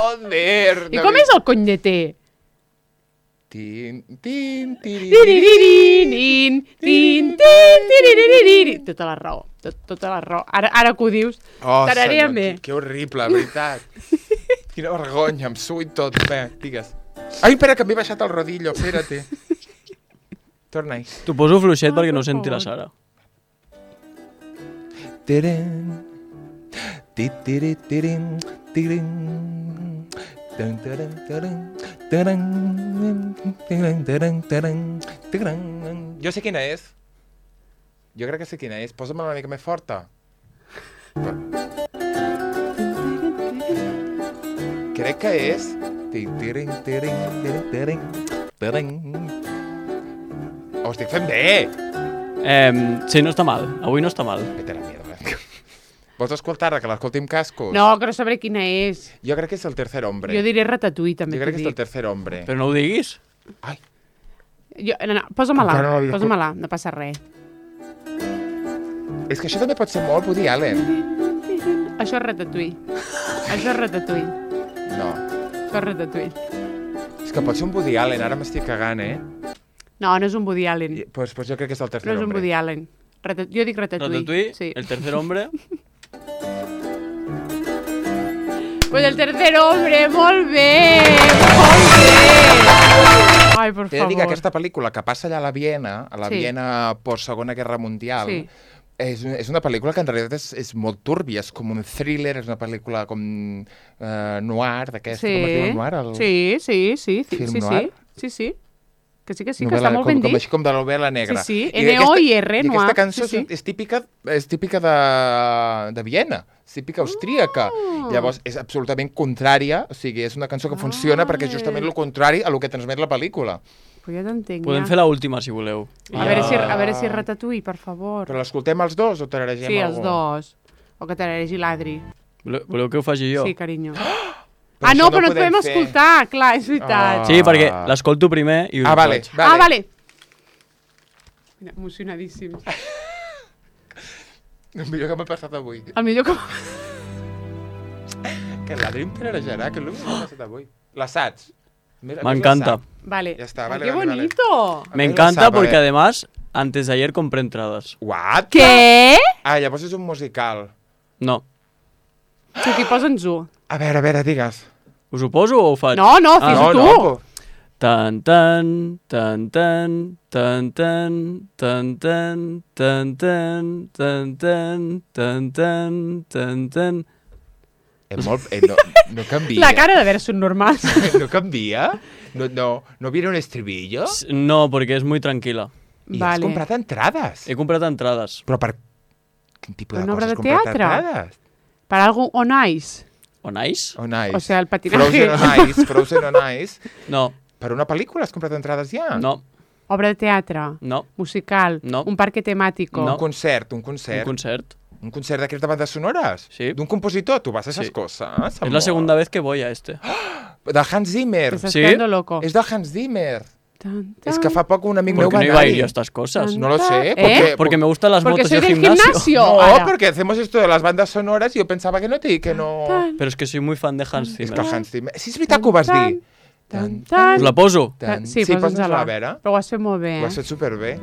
Joder! I com és el cony d'E T? Tin, tin, tirirín. Tiriririn, tin, tin, tiriririn. Tota la raó, tot, tota la raó. Ara, ara que ho dius, Oh, tararea'm senyor, bé. que, que horrible, veritat. Quina vergonya, em suo i tot. Bé, digues. Ai, espera, que m'he baixat el rodillo, espérate. Torna-hi. T'ho poso fluixet Ai, perquè no per senti la favor. Sara. Tirin. Titiri, tirin, tirin. Tan, taran, taran, taran, taran, taran, taran, taran. Jo sé quina és. Jo crec que sé quina és. Posa-me una mica més forta. Crec que és... Tirin, tirin, tirin, tirin, tirin. Ho estic fent bé! Eh, sí, no està mal. Avui no està mal. Vete a la mierda. Vols escoltar-la, que l'escolti amb cascos? No, que no sabré quina és. Jo crec que és el tercer hombre. Jo diré Ratatouille, també Jo crec que t'ho és el dic. tercer hombre. Però no ho diguis. Ai, Jo, no, no, posa-me-la, Encara no l'havia posa-me-la, no passa res. és que això també pot ser molt Woody Allen. Això és Ratatouille. Això és Ratatouille. No. Això és Ratatouille. És que pot ser un Woody Allen, ara m'estic cagant, eh? No, no és un Woody Allen. I, pues, pues jo crec que és el tercer No és un hombre. Woody Allen. Ratat... Jo dic Ratatouille. Ratatouille, Sí. el tercer hombre. Pues el tercer hombre, molt bé, molt bé. Ai, per He de favor. dir que aquesta pel·lícula que passa allà a la Viena, a la Sí. Viena post-segona guerra mundial, Sí. és, és una pel·lícula que en realitat és, és molt túrbia, és com un thriller, és una pel·lícula com eh, noir, d'aquesta, Sí. com es diu el noir? El... Sí, sí, sí, sí, Film sí, noir? sí, sí, sí. Que sí, que sí, que Novel·la, està molt com, ben com, dit. així com de la novel·la negra. Sí, sí, I N O I R, I noir, aquesta cançó sí, sí. És, és típica, és típica de, de Viena, és típica austríaca. Ah. Llavors, és absolutament contrària, o sigui, és una cançó que funciona perquè és justament el contrari a lo que transmet la pel·lícula. Pues ja t'entenc, Podem ja. fer l'última, si voleu. I A ja- veure si, a veure si és Ratatouille, per favor. Però l'escoltem els dos o tararegem Sí, algú? els dos. O que t'agregi l'Adri. Voleu, voleu que ho faci jo? Sí, carinyo. Però Ah, no, això no però no ho et podem podem fer. escoltar, clar, és veritat. Ah. Sí, perquè l'escolto primer i us Ah, ho vale, faig. vale. Ah, vale. Mira, emocionadíssims. El millor que m'ha passat avui. El millor que... Que l'Adri em tararejarà, que és el que m'ha passat avui. La saps? Mira, M'encanta. la sap. Vale. Ya está, Ay, vale, qué vale, vale. bonito. A Me ver, encanta la sap, a porque ver. además, antes de ayer compré entradas. What? Què? Ah, llavors és un musical. No. Sí, aquí posa'ns-ho. A veure, a veure, digues. Us ho poso o ho faig? No, no, Ah, fes-ho no, tu. no, Tan, tan, tan, tan, tan, tan, tan, tan, tan, tan, tan, tan, tan, tan, tan, tan. és molt... Eh, no, no canvia. La cara de veure són normals. No canvia? No, no, no viene un estribillo? S- No, porque es muy tranquila. I has Vale. comprat entrades? He comprat entrades. Però per... Quin tipus Per de una obra coses de has comprat teatre? entrades? Para algo on ice. On ice? On ice. O sea, el patinaje. Frozen on ice, Frozen on ice. No, Per una pel·lícula has comprat entrades ja? no, Obra de teatre. no. Musical. No. Un parque temático. Un concert, un Un concert. concert. Un concert d'aquestes de bandes sonores? Sí. D'un compositor? Tu vas a esas Sí. cosas? Es la segunda vez que voy a este. De Hans Zimmer. Te estás Sí. quedando loco. És de Hans Zimmer. Tan, És tan. que fa poc un amic ¿Por meu qué va no iba a ir anar-hi. yo a estas cosas? No lo sé, ¿Eh? porque... Porque me gustan las Porque motos soy y el del gimnasio. gimnasio. No, Ahora. porque hacemos esto de las bandas sonoras y yo pensaba que no te... Que no... Tan, Pero es que soy muy fan de Hans És Zimmer. que el Hans Zimmer... Sí, és veritat que ho vas tan, dir. tan, tan. Us la poso? Tan. Sí, sí posa'ns-la. posa'ns-la a veure. Però ho has fet molt bé. Ho has fet superbé.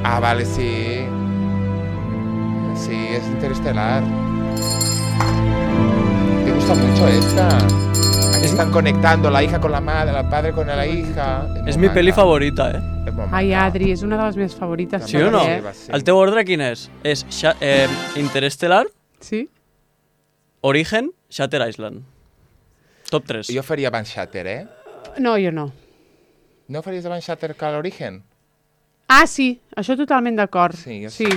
Ah, vale, sí. Sí, es Interestelar. Te gusta mucho esta. Aquí están conectando la hija con la madre, la padre con la hija. Es molt mi peli maca. favorita, eh? És molt Ai, maca. Adri, és una de les meves favorites. Sí o no? també, eh? Sí. El teu ordre quin és? És Sha- eh, Interestelar, Sí? Origen, Shatter Island. Top tres. Jo faria abans Shatter, eh? No, jo no. No faries abans Shatter que l'Origen? Ah, sí, això totalment d'acord. Sí, jo sí.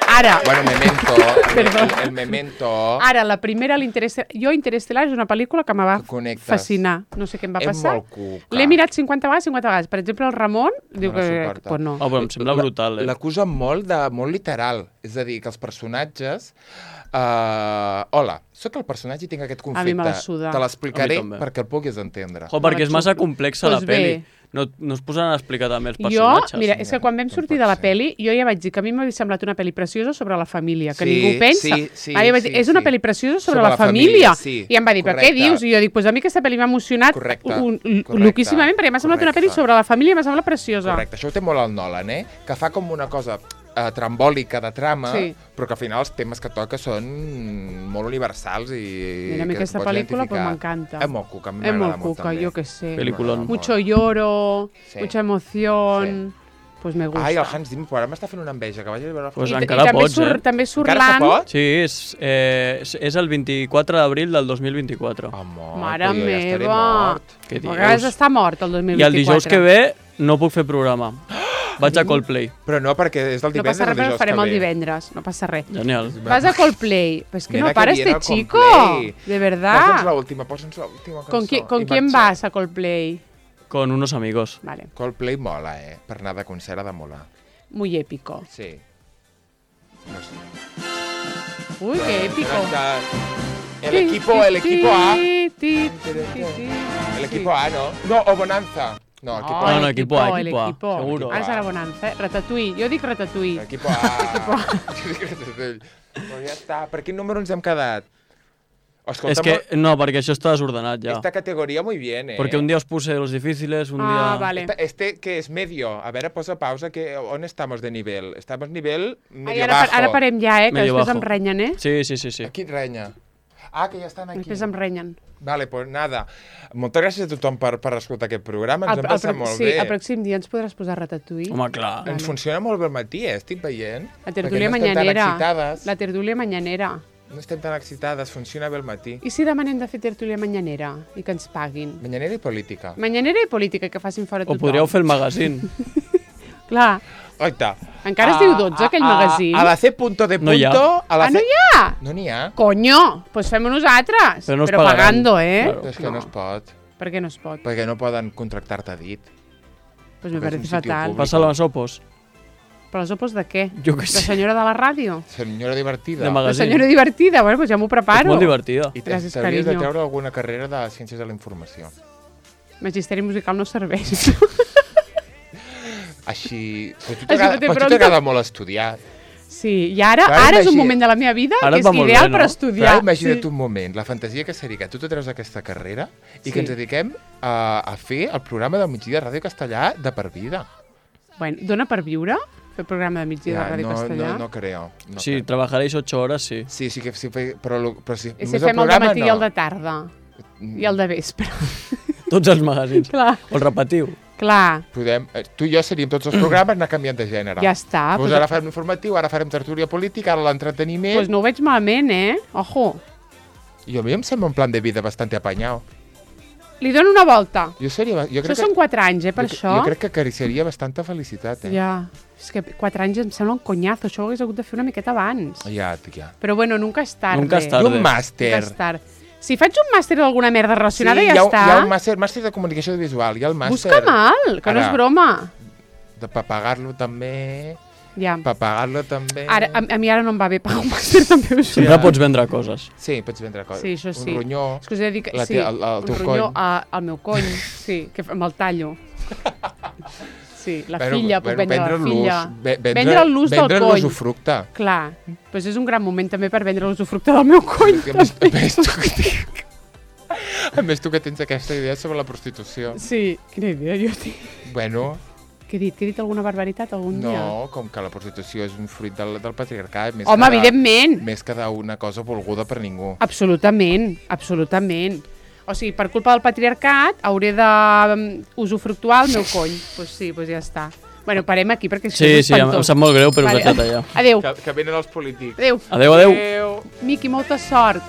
Ara, Bueno, Memento, el, Perdó. el, el Memento... ara, la primera, l'Interestel... Jo, Interestelar és una pel·lícula que me va Que connectes. fascinar. No sé què em va és passar. molt cuca. L'he mirat cinquanta vegades, cinquanta vegades. Per exemple, el Ramon diu No la que... suporta. Pues no. Oh, però em sembla brutal, eh? L'acusa molt de molt literal. És a dir, que els personatges... Uh, hola, sóc el personatge i tinc aquest conflicte. A mi me la suda. Te l'explicaré A mi també. perquè el puguis entendre. Jo, perquè és massa xup- complexa Pues la peli. bé. No, no es posaran a explicar també els Jo, personatges. mira, és que quan vam Com sortir pot de la ser? pel·li, jo ja vaig dir que a mi m'havia semblat una pel·li preciosa sobre la família, que Sí, ningú pensa. sí, sí, Ah, jo vaig dir, sí, és una sí. pel·li preciosa sobre, Sobre la, la família. família, sí, I em va dir, però què correcte. dius? I jo dic, pues a mi aquesta pel·li m'ha emocionat Correcte, un, un, correcte, loquíssimament, perquè m'ha semblat una pel·li correcte. sobre la família i m'ha semblat preciosa. Correcte, això ho té molt el Nolan, eh? Que fa com una cosa eh, trambòlica de trama, Sí. però que al final els temes que toca són molt universals i... Mira, a mi que aquesta pots pel·lícula pues, identificar. m'encanta. És molt cuca, a mi És m'agrada molt molt cuca, també. jo que sé. Peliculón. M'agrada Mucho molt. lloro, Sí. mucha emoción. pues me gusta. Ai, el Hans Zimmer, ara m'està fent una enveja, que vagi a veure el Pues I, encara i també pots, surt, eh? també surt Encara se l'Anne. pot? Sí, és, eh, és, és el vint-i-quatre d'abril del dos mil vint-i-quatre. Home, Mare però jo ja estaré meva. mort. Què A vegades dius? està mort el dos mil I vint-i-quatre. el dijous que ve no puc fer programa. Vaig a Coldplay. Però no, perquè és del No divendres passa res, el però dijous ho farem que el ve. divendres. No passa res. Genial. Vas a Coldplay. Pues que Nena, no para que viene este al chico. Coldplay. De Posa'ns verdad. l'última, posa'ns l'última cançó. ¿Con, qui, ¿con I quién marxa. vas a Coldplay? Con unos amigos. Vale. Coldplay mola, eh? Per anar de concert ha de molar. Muy épico. Sí. No sé. Uy, qué épico. El equipo, el equipo A. Ti, ti, ti, ti. El equipo A, ¿no? No, o Bonanza. No, equipo No, A. No, no, el equipo A, el equipo A, equipo. seguro. Ara serà Bonanza, eh? Ratatouille. Jo dic Ratatouille. Equipo A. Jo dic Ratatouille. Però ja està. Per quin número ens hem quedat? Escolta, Es que, no, perquè això està desordenat ja. esta categoría muy bien, eh? Porque un día os puse los difíciles, un Ah, día... vale. Esta- Este que es medio. A ver, posa pausa. Que, ¿on estamos de nivel? Estamos nivel Ai, medio ara, bajo. ara parem ja, eh? Que Medio després bajo. em renyen, eh? Sí, sí, sí, sí. Aquí renya. Ah, que ja estan aquí. Després em renyen. Vale, pues nada. Moltes gràcies a tothom per, per escoltar aquest programa. Ens El- hem passat el, molt sí, bé. el pròxim dia ens podràs posar Ratatouille. Home, clar. Ens funciona molt bé el matí, eh? Estic veient. La tertúlia Perquè no estem tan mañanera. excitades. La tertúlia mañanera. No estem tan excitades, funciona bé el matí. I si demanem de fer tertúlia mañanera i que ens paguin? Mañanera i política. Mañanera i política, que facin fora O tothom. podríeu fer el magazine. Clar, Oita. encara es diu dotze, aquell magazine. A la C punto de punto... No hi ha. A la Ah, no C... hi ha? No n'hi ha. Coño, pues fem-ho nosaltres. Però no us Però pagaran. pagando, eh? Claro. Però és que no es pot. Per què no es pot? Perquè no poden contractar-te a dit. Pues me Perquè és parece un sitio fatal. públic. Passa les opos. Però les opos de què? Jo què De sé. senyora de la ràdio? Senyora divertida. De La magazine. senyora divertida? Bueno, pues ja m'ho És preparo. molt divertida. I Gràcies, t'hauries de carinyo. treure alguna carrera de Ciències de la Informació. Magisteri musical no serveix. Així... Però a tu Així t'agrada bote però a tu pronto. t'agrada molt estudiar. Sí, i ara, Ara ara és un imagina- moment de la meva vida Ara que et va és molt ideal bé, no? per Però estudiar. ara imagina't sí. un moment, la fantasia que seria que tu te treus aquesta carrera i Sí. que ens dediquem a, a fer el programa del migdia de Ràdio Castellà de per vida. Bueno, dona per viure? Fer programa de migdia de Ràdio no, Castellà? no, no creo. No Sí, creo. trabajaréis ocho horas, sí. Sí, sí que sí, fe- però, lo- però si, I només si fem el de programa, matí no. i el de tarda. I el de vespre. Tots els magazines. Clar, O el repetiu. clar. Podem, eh, tu i jo seríem tots els programes anar canviant de gènere. Ja està. Pues Pues, ara farem informatiu, ara farem tertúlia política, ara l'entreteniment. pues no ho veig malament, eh? Ojo. I a mi em sembla un plan de vida bastante apanyau. Li dono una volta. Jo seria... Jo Això crec són que, quatre anys, eh, per jo, això. jo crec que acariciaria bastanta felicitat, eh? Ja. És que quatre anys em sembla un conyazo. Això ho hagués hagut de fer una miqueta abans. Ja, ja. Però bueno, nunca és tarde. Nunca és I tarde. un màster. Nunca és tard. Si faig un màster d'alguna merda relacionada, sí, ja hi ha, està. hi ha un màster, màster de comunicació visual, hi ha el màster... Busca mal, que no Ara. és broma. De, per pagar-lo també... Ja. Per pagar-lo també... Ara, a, a mi ara no em va bé pagar un màster, també ho sé. Sempre pots vendre coses. Sí, pots vendre coses. Sí, això sí. Un ronyó... És que us he de dir que... La sí, te- el- el un teu ronyó cony. a, al meu cony, sí, que amb el tallo. Sí, la Bueno, filla, puc bueno, vendre la vendre l'ús, filla. ve- vendre- Vendre l'ús del Vendre cony. l'usufructe. Clar, doncs és un gran moment també per vendre l'usufructe del meu cony. A més, a més, tu que tinc... A més, tu que tens aquesta idea sobre la prostitució. Sí, quina idea jo tinc. Bueno, Què he dit? Que he dit alguna barbaritat algun dia? no, com que la prostitució és un fruit del, del patriarcat. Més Home, que de- evidentment. Més que d'una cosa volguda per ningú. Absolutament, absolutament. O sigui, per culpa del patriarcat hauré de um, usufructuar el meu cony. Doncs pues sí, doncs pues ja està. Bueno, parem aquí perquè això Sí, és sí, em, em espantós. sap molt greu, però us Vale. he tallat. Adéu. Que, que venen els polítics. Adéu. Adéu, adéu. Adéu. Miqui, molta sort.